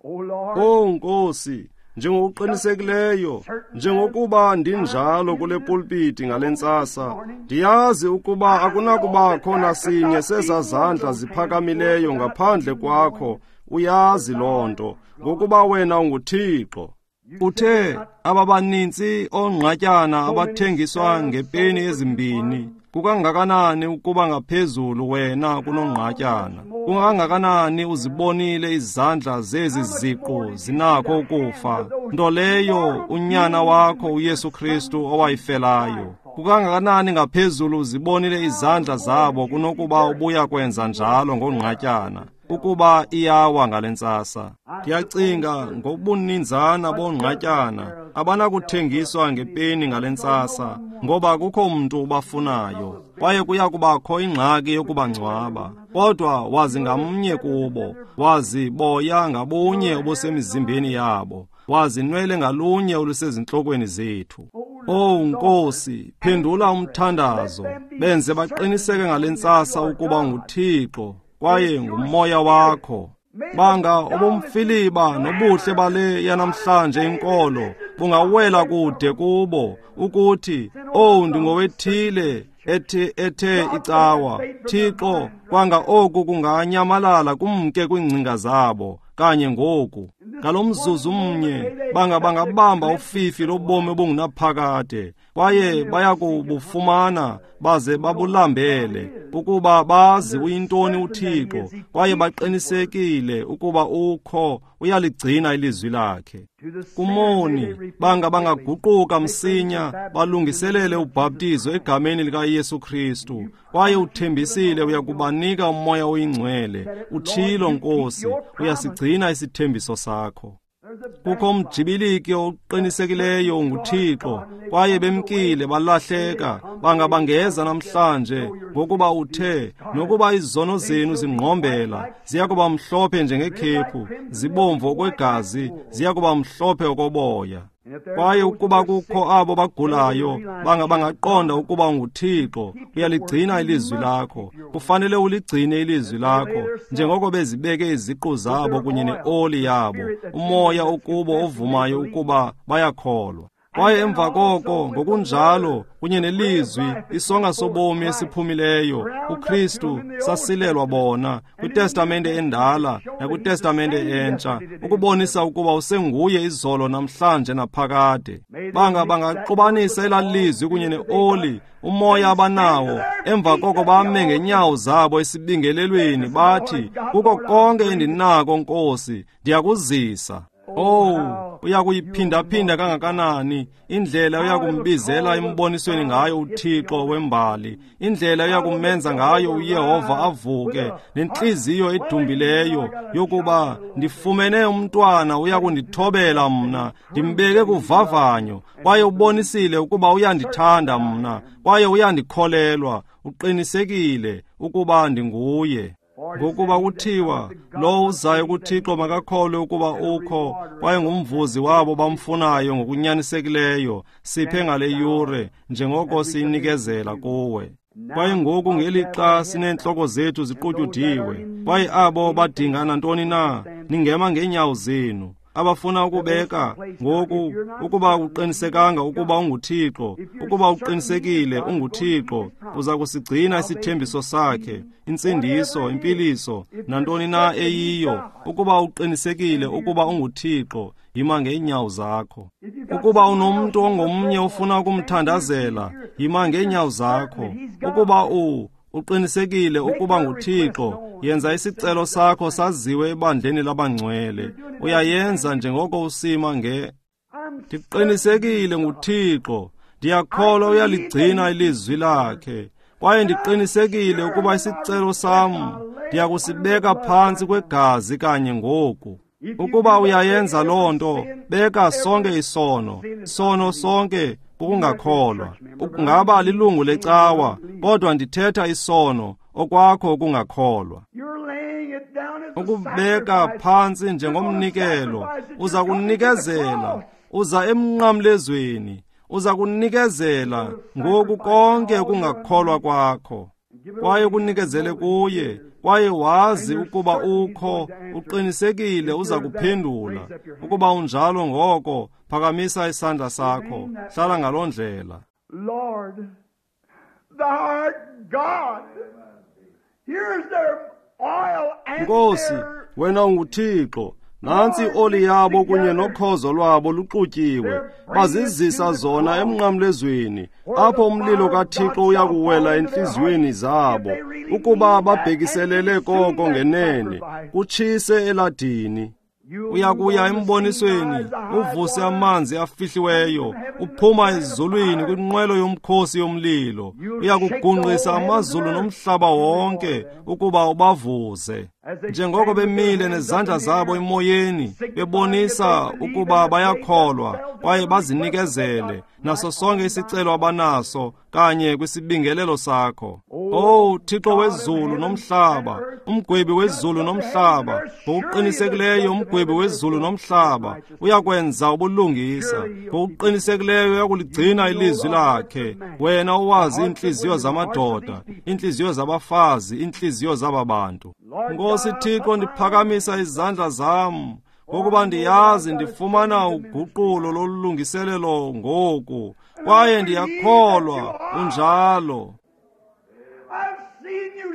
Oh Nkosi, njengokuqinisekileyo njengokuba ndinjalo kule pulpiti ngale ntsasa, ndiyazi ukuba akunakubakho nasinye sezazandla ziphakamileyo ngaphandle kwakho. Uyazi loo nto, ngokuba wena unguThixo. Uthe ababanintsi oongqatyana abathengiswa ngepeni ezimbini, kukangakanani ukuba ngaphezulu wena kunongqatyana? Kungangakanani uzibonile izandla zezi ziqu zinakho ukufa, nto leyo unyana wakho uYesu Kristu owayifelayo? Kukangakanani ngaphezulu uzibonile izandla zabo kunokuba ubuya kwenza njalo ngongqatyana, ukuba iyawa ngale ntsasa? Ndiyacinga ngobuninzana bongqatyana abanakuthengiswa ngepeni ngale ntsasa, ngoba kukho mntu ubafunayo, kwaye kuya kubakho ingxaki yokubangcwaba. Kodwa wazi ngamnye kubo, wazi boya ngabunye obusemizimbeni yabo, wazi nwele ngalunye olusezintlokweni zethu. Oh Nkosi, phendula umthandazo, benze baqiniseke ngale ntsasa ukuba nguThixo kwaye ngumoya wakho. Banga ubumfiliba nobuhle bale yanamhlanje inkolo bungawela kude kubo, ukuthi oh ndingowethile ethe ethe icawa. Thixo, kwanga oku kunganyamalala kumke kwiingcinga zabo kanye ngoku. Ngalomzuzu mnye banga bangabamba ufifi lobomi obungunaphakade, kwaye bayakubufumana baze babulambele, ukuba bazi uyintoni uThixo, kwaye baqinisekile ukuba ukho, uyaligcina ilizwi lakhe. Kumoni banga bangaguquka msinya, balungiselele ubhaptizo egameni likaYesu Kristu, kwaye uthembisile uyakubanika umoya oyingcwele. Utshilo Nkosi, uyasigcina isithembiso sakho. Kukho umjibiliki oqinisekileyo unguThixo, kwaye bemkile balahleka, bangabangeza namhlanje, ngokuba uthe, nokuba izono zenu zingqombela, ziya kuba mhlophe njengekhephu, zibomvu okwegazi, ziya kuba mhlophe okoboya. Kwaye ukuba kukho abo bagulayo, banga bangaqonda ukuba unguThixo, uyaligcina ilizwi lakho. Kufanele uligcine ilizwi lakho, njengoko bezibeke iziqu zabo kunye neoli yabo, umoya okubo ovumayo ukuba bayakholwa. Kwaye emva koko, ngokunjalo, kunye nelizwi, isonga sobomi esiphumileyo, uKristu sasilelwa bona, kwiTestamente endala nakwiTestamente entsha, ukubonisa ukuba usenguye izolo namhlanje naphakade. Banga bangaxubanisa elaa lizwi kunye neoli, umoya abanawo, emva koko bame ngenyawo zabo esibingelelweni, bathi, kuko konke endinako, Nkosi, ndiyakuzisa. Oh, uyakuyiphinda-phinda kangakanani indlela uyakumbizela embonisweni ngayo uThixo wembali, indlela uyakumenza ngayo uYehova avuke nentliziyo edumbileyo yokuba ndifumene umntwana uyakundithobela mna, ndimbeke kuvavanyo, kwaye ubonisile ukuba uyandithanda mna, kwaye uyandikholelwa, uqinisekile ukuba ndinguye. Ngokuba kuthiwa, lowo uzayo kuThixo makakholwe ukuba ukho, kwaye ngumvuzi wabo bamfunayo ngokunyanisekileyo. Siphe ngale yure, njengoko siyinikezela kuwe. Kwaye ngoku ngelixa sineentloko zethu ziqutyudiwe, kwaye abo badinga nantoni na, ningema ngeenyawo zenu. Abafuna ukubeka ngoku ukuba uqinisekanga ukuba unguThixo, ukuba uqinisekile unguThixo, uza kusigcina isithembiso sakhe, insindiso, impiliso, nantoni na eyiyo. Ukuba uqinisekile ukuba unguThixo, yima ngeenyawo zakho. Ukuba unomntu ongomnye ofuna ukumthandazela, yima ngeenyawo zakho. Ukuba u uqinisekile ukuba nguThixo, yenza isicelo sakho saziwe ebandleni labangcwele. Uyayenza njengoko usima nge Ndiqinisekile nguThixo, ndiyakholwa uyaligcina ilizwi lakhe, kwaye ndiqinisekile ukuba isicelo sam ndiyakusibeka phantsi kwegazi kanye ngoku. Ukuba uyayenza loo nto, beka sonke isono, sono sonke kukungakholwa. Ungaba lilungu lecawa, kodwa ndithetha isono okwakho ukungakholwa. Ukubeka phantsi njengomnikelo, uza kunikezela, uza emnqamlezweni, uza kunikezela ngoku konke ukungakholwa kwakho. Kwaye kunikezele kuye, kwaye wazi ukuba ukho, uqinisekile uza kuphendula. Ukuba unjalo ngoko, phakamisa isandla sakho, hlala ngaloo ndlela. Lord, thou art God. Here's their oil and Nkosi, wena unguThixo. Nantsi ioli yabo kunye nokhozo lwabo luxutyiwe, bazizisa zona emnqamlezweni, apho umlilo kaThixo uyakuwela entliziyweni zabo, ukuba babhekiselele koko ngenene, kutshise eladini. Uyakuya embonisweni, uvuse amanzi afihliweyo, uphuma ezulwini kwinqwelo yomkhosi yomlilo. Uyakugungqisa amazulu nomhlaba wonke ukuba ubavuze. Njengoko bemile nezandla zabo emoyeni, bebonisa ukuba bayakholwa kwaye bazinikezele naso sonke isicelo abanaso kanye kwisibingelelo sakho. Oh Thixo wezulu nomhlaba, umgwebi wezulu nomhlaba, ngokuqinisekileyo umgwebi wezulu nomhlaba uyakwenza ubulungisa, ngokuqinisekileyo uyakuligcina ilizwi lakhe. Wena owazi iintliziyo zamadoda, iintliziyo zabafazi, iintliziyo zaba bantu. Nkosi Thixo, ndiphakamisa izandla zam, ngokuba ndiyazi ndifumana uguqulo lolungiselelo ngoku, kwaye ndiyakholwa unjalo.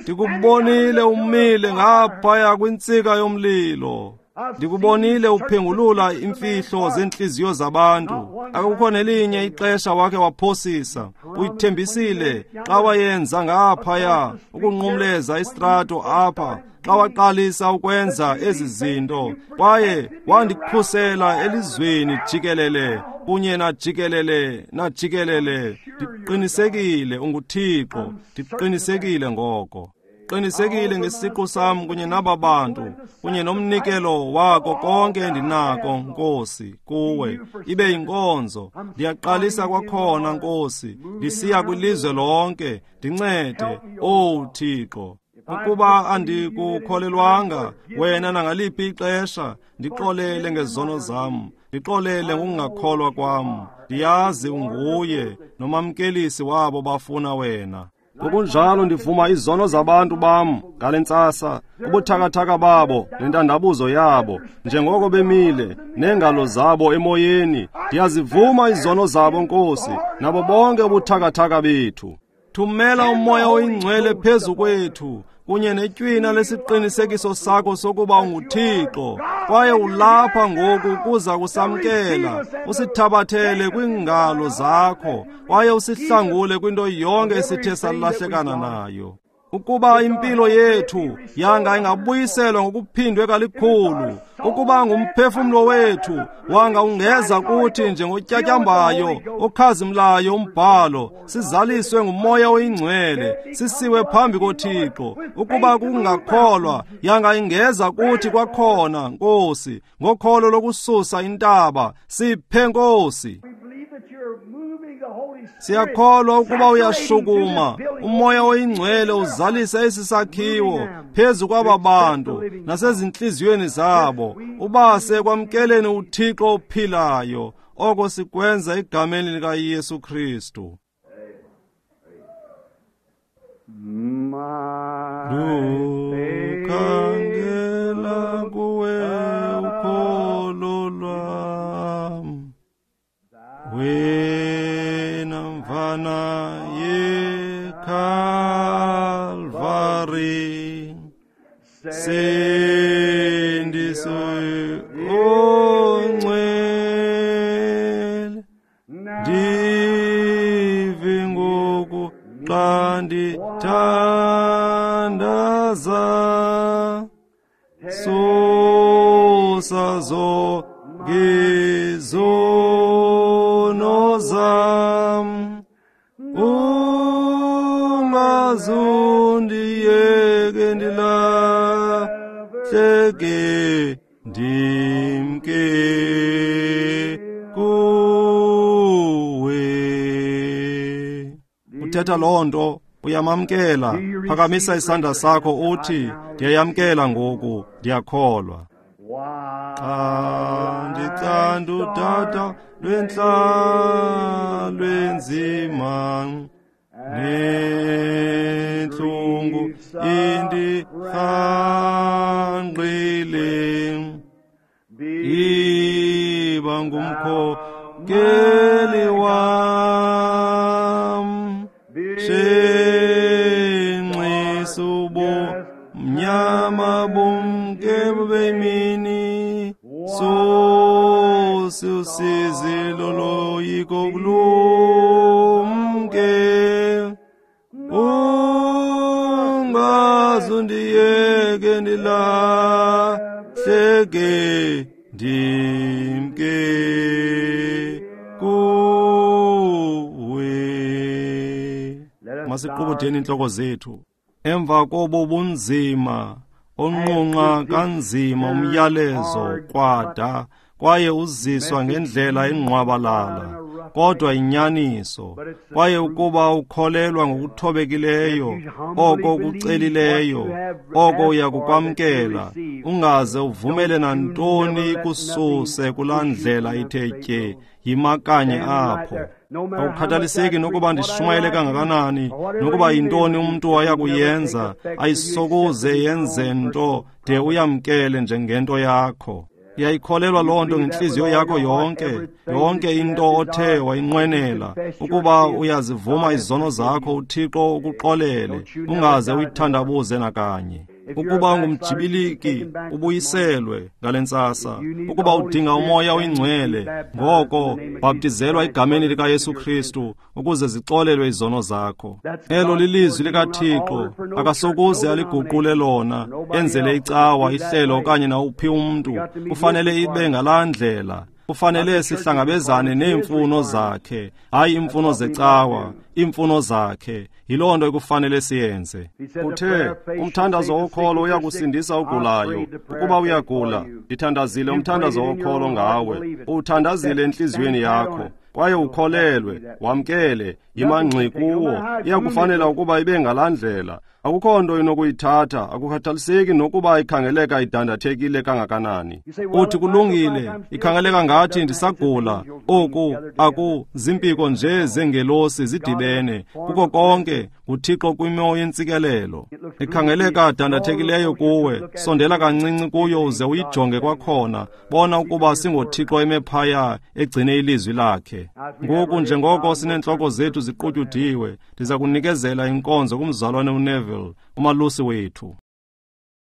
Ndikubonile umile ngaphaya kwintsika yomlilo. Ndikubonile uphengulula imfihlo zentliziyo zabantu. Akukho nelinye ixesha wakhe waphosisa. Uyithembisile xa wayenza ngaphaya ukunqumleza istrato apha, xa waqalisa ukwenza ezi zinto, kwaye wandikhusela elizweni jikelele kunye najikelele najikelele. Ndiqinisekile unguThixo, ndiqinisekile ngoko. Ndiqinisekile ngesiqu sam kunye naba bantu, kunye nomnikelo wako konke endinako, Nkosi, kuwe. Ibe yinkonzo. Ndiyaqalisa kwakhona, Nkosi. Ndisiya kwilizwe lonke. Ndincede, Owu Thixo. Ukuba andikukholelwanga wena nangaliphi ixesha, ndixolele ngezono zam, ndixolele ngokungakholwa kwam. Ndiyazi unguye nomamkelisi wabo bafuna wena. Ngokunjalo ndivuma izono zabantu bam ngale ntsasa, ubuthakathaka babo nentandabuzo yabo, njengoko bemile neengalo zabo emoyeni. Ndiyazivuma izono zabo, Nkosi, nabo bonke ubuthakathaka bethu. Thumela uMoya oyiNgcwele phezu kwethu, kunye netywina lesiqinisekiso sakho sokuba unguThixo, kwaye ulapha ngoku kuza kusamkela, usithabathele kwiingalo zakho, kwaye usihlangule kwinto yonke esithe salahlekana nayo. Ukuba impilo yethu yanga ingabuyiselwa ngokuphindwe kalikhulu, ukuba ngumphefumlo wethu wanga ungeza kuthi njengotyatyambayo okhazimlayo umbhalo, sizaliswe nguMoya oyiNgcwele, sisiwe phambi koThixo. Ukuba kungakholwa yanga ingeza kuthi kwakhona, Nkosi, ngokholo lokususa intaba. Siphe, Nkosi. Siyakholwa ukuba uyashukuma uMoya oyiNgcwele uzalise esi sakhiwo phezu kwaba bantu nasezintliziyweni zabo, ubase kwamkeleni uThixo ophilayo. Oko sikwenza egameni likaYesu Kristu. Lukhangela kuwe ukholo lwam, wena mvana yeKalvari, sindiswe ongcwele, ndive ngoku xa ndithandaza, susa zonke izono zam, ungazundiyeke ndilahleke, ndimke kuwe. Uthetha loo nto, uyamamkela. Phakamisa isandla sakho uthi, ndiyayamkela ngoku, ndiyakholwa. Xa ndicanda udada lwentlalo enzima, nentlungu indirhangqile, iba ngumkhokeli wam, shenxisa ubumnyama bumke bemini, susa usizi loloyiko kulumke, ungazundiyeke ndilahleke, ndimke kuwe. Masiqubudeni intloko zethu. Emva kobo bunzima onqunqa kanzima umyalezo kwada, kwaye uziswa ngendlela engqwabalala, kodwa inyaniso. Kwaye ukuba ukholelwa ngokuthobekileyo oko kucelileyo, oko uyakukwamkela. Ungaze uvumele nantoni ikususe kulaa ndlela ithe tye. Yima kanye apho. Akukhathaliseki nokuba ndishumayele kangakanani, nokuba yintoni umntu ayakuyenza, ayisokuze yenze nto de uyamkele njengento yakho. Uyayikholelwa loo nto ngentliziyo yakho yonke, yonke into othe wayinqwenela. Ukuba uyazivuma izono zakho, uThixo ukuxolele, ungaze uyithandabuze nakanye. Ukuba ungumjibiliki, ubuyiselwe ngale ntsasa. Ukuba udinga uMoya oyiNgcwele, ngoko bhaptizelwa egameni likaYesu Kristu ukuze zixolelwe izono zakho. Elo lilizwi likaThixo, akasokuze aliguqule lona, enzele icawa, ihlelo okanye nawuphi umntu. Kufanele ibe ngalaa ndlela. Kufanele sihlangabezane neemfuno zakhe, hayi iimfuno zecawa, iimfuno zakhe. Yiloo nto ekufanele siyenze. Uthe umthandazo wokholo uyakusindisa ogulayo. Ukuba uyagula, ndithandazile umthandazo wokholo ngawe. Uwuthandazile entliziyweni yakho, kwaye ukholelwe, wamkele, yima ngxi kuwo. Iyakufanela ukuba ibe ngalaa ndlela. Akukho nto inokuyithatha, akukhathaliseki nokuba ikhangeleka idandathekile kangakanani. Uthi kulungile, ikhangeleka ngathi ndisagula. Oku aku zimpiko nje zengelosi zidibene. Kuko konke nguThixo kwimo yentsikelelo. Ikhangeleka dandathekileyo kuwe, sondela kancinci kuyo uze uyijonge kwakhona. Bona ukuba singoThixo eme phaya egcine ilizwi lakhe. Ngoku njengoko sineentloko zethu ziqutyudiwe, ndiza kunikezela inkonzo kumzalwane uNeville, umalusi wethu.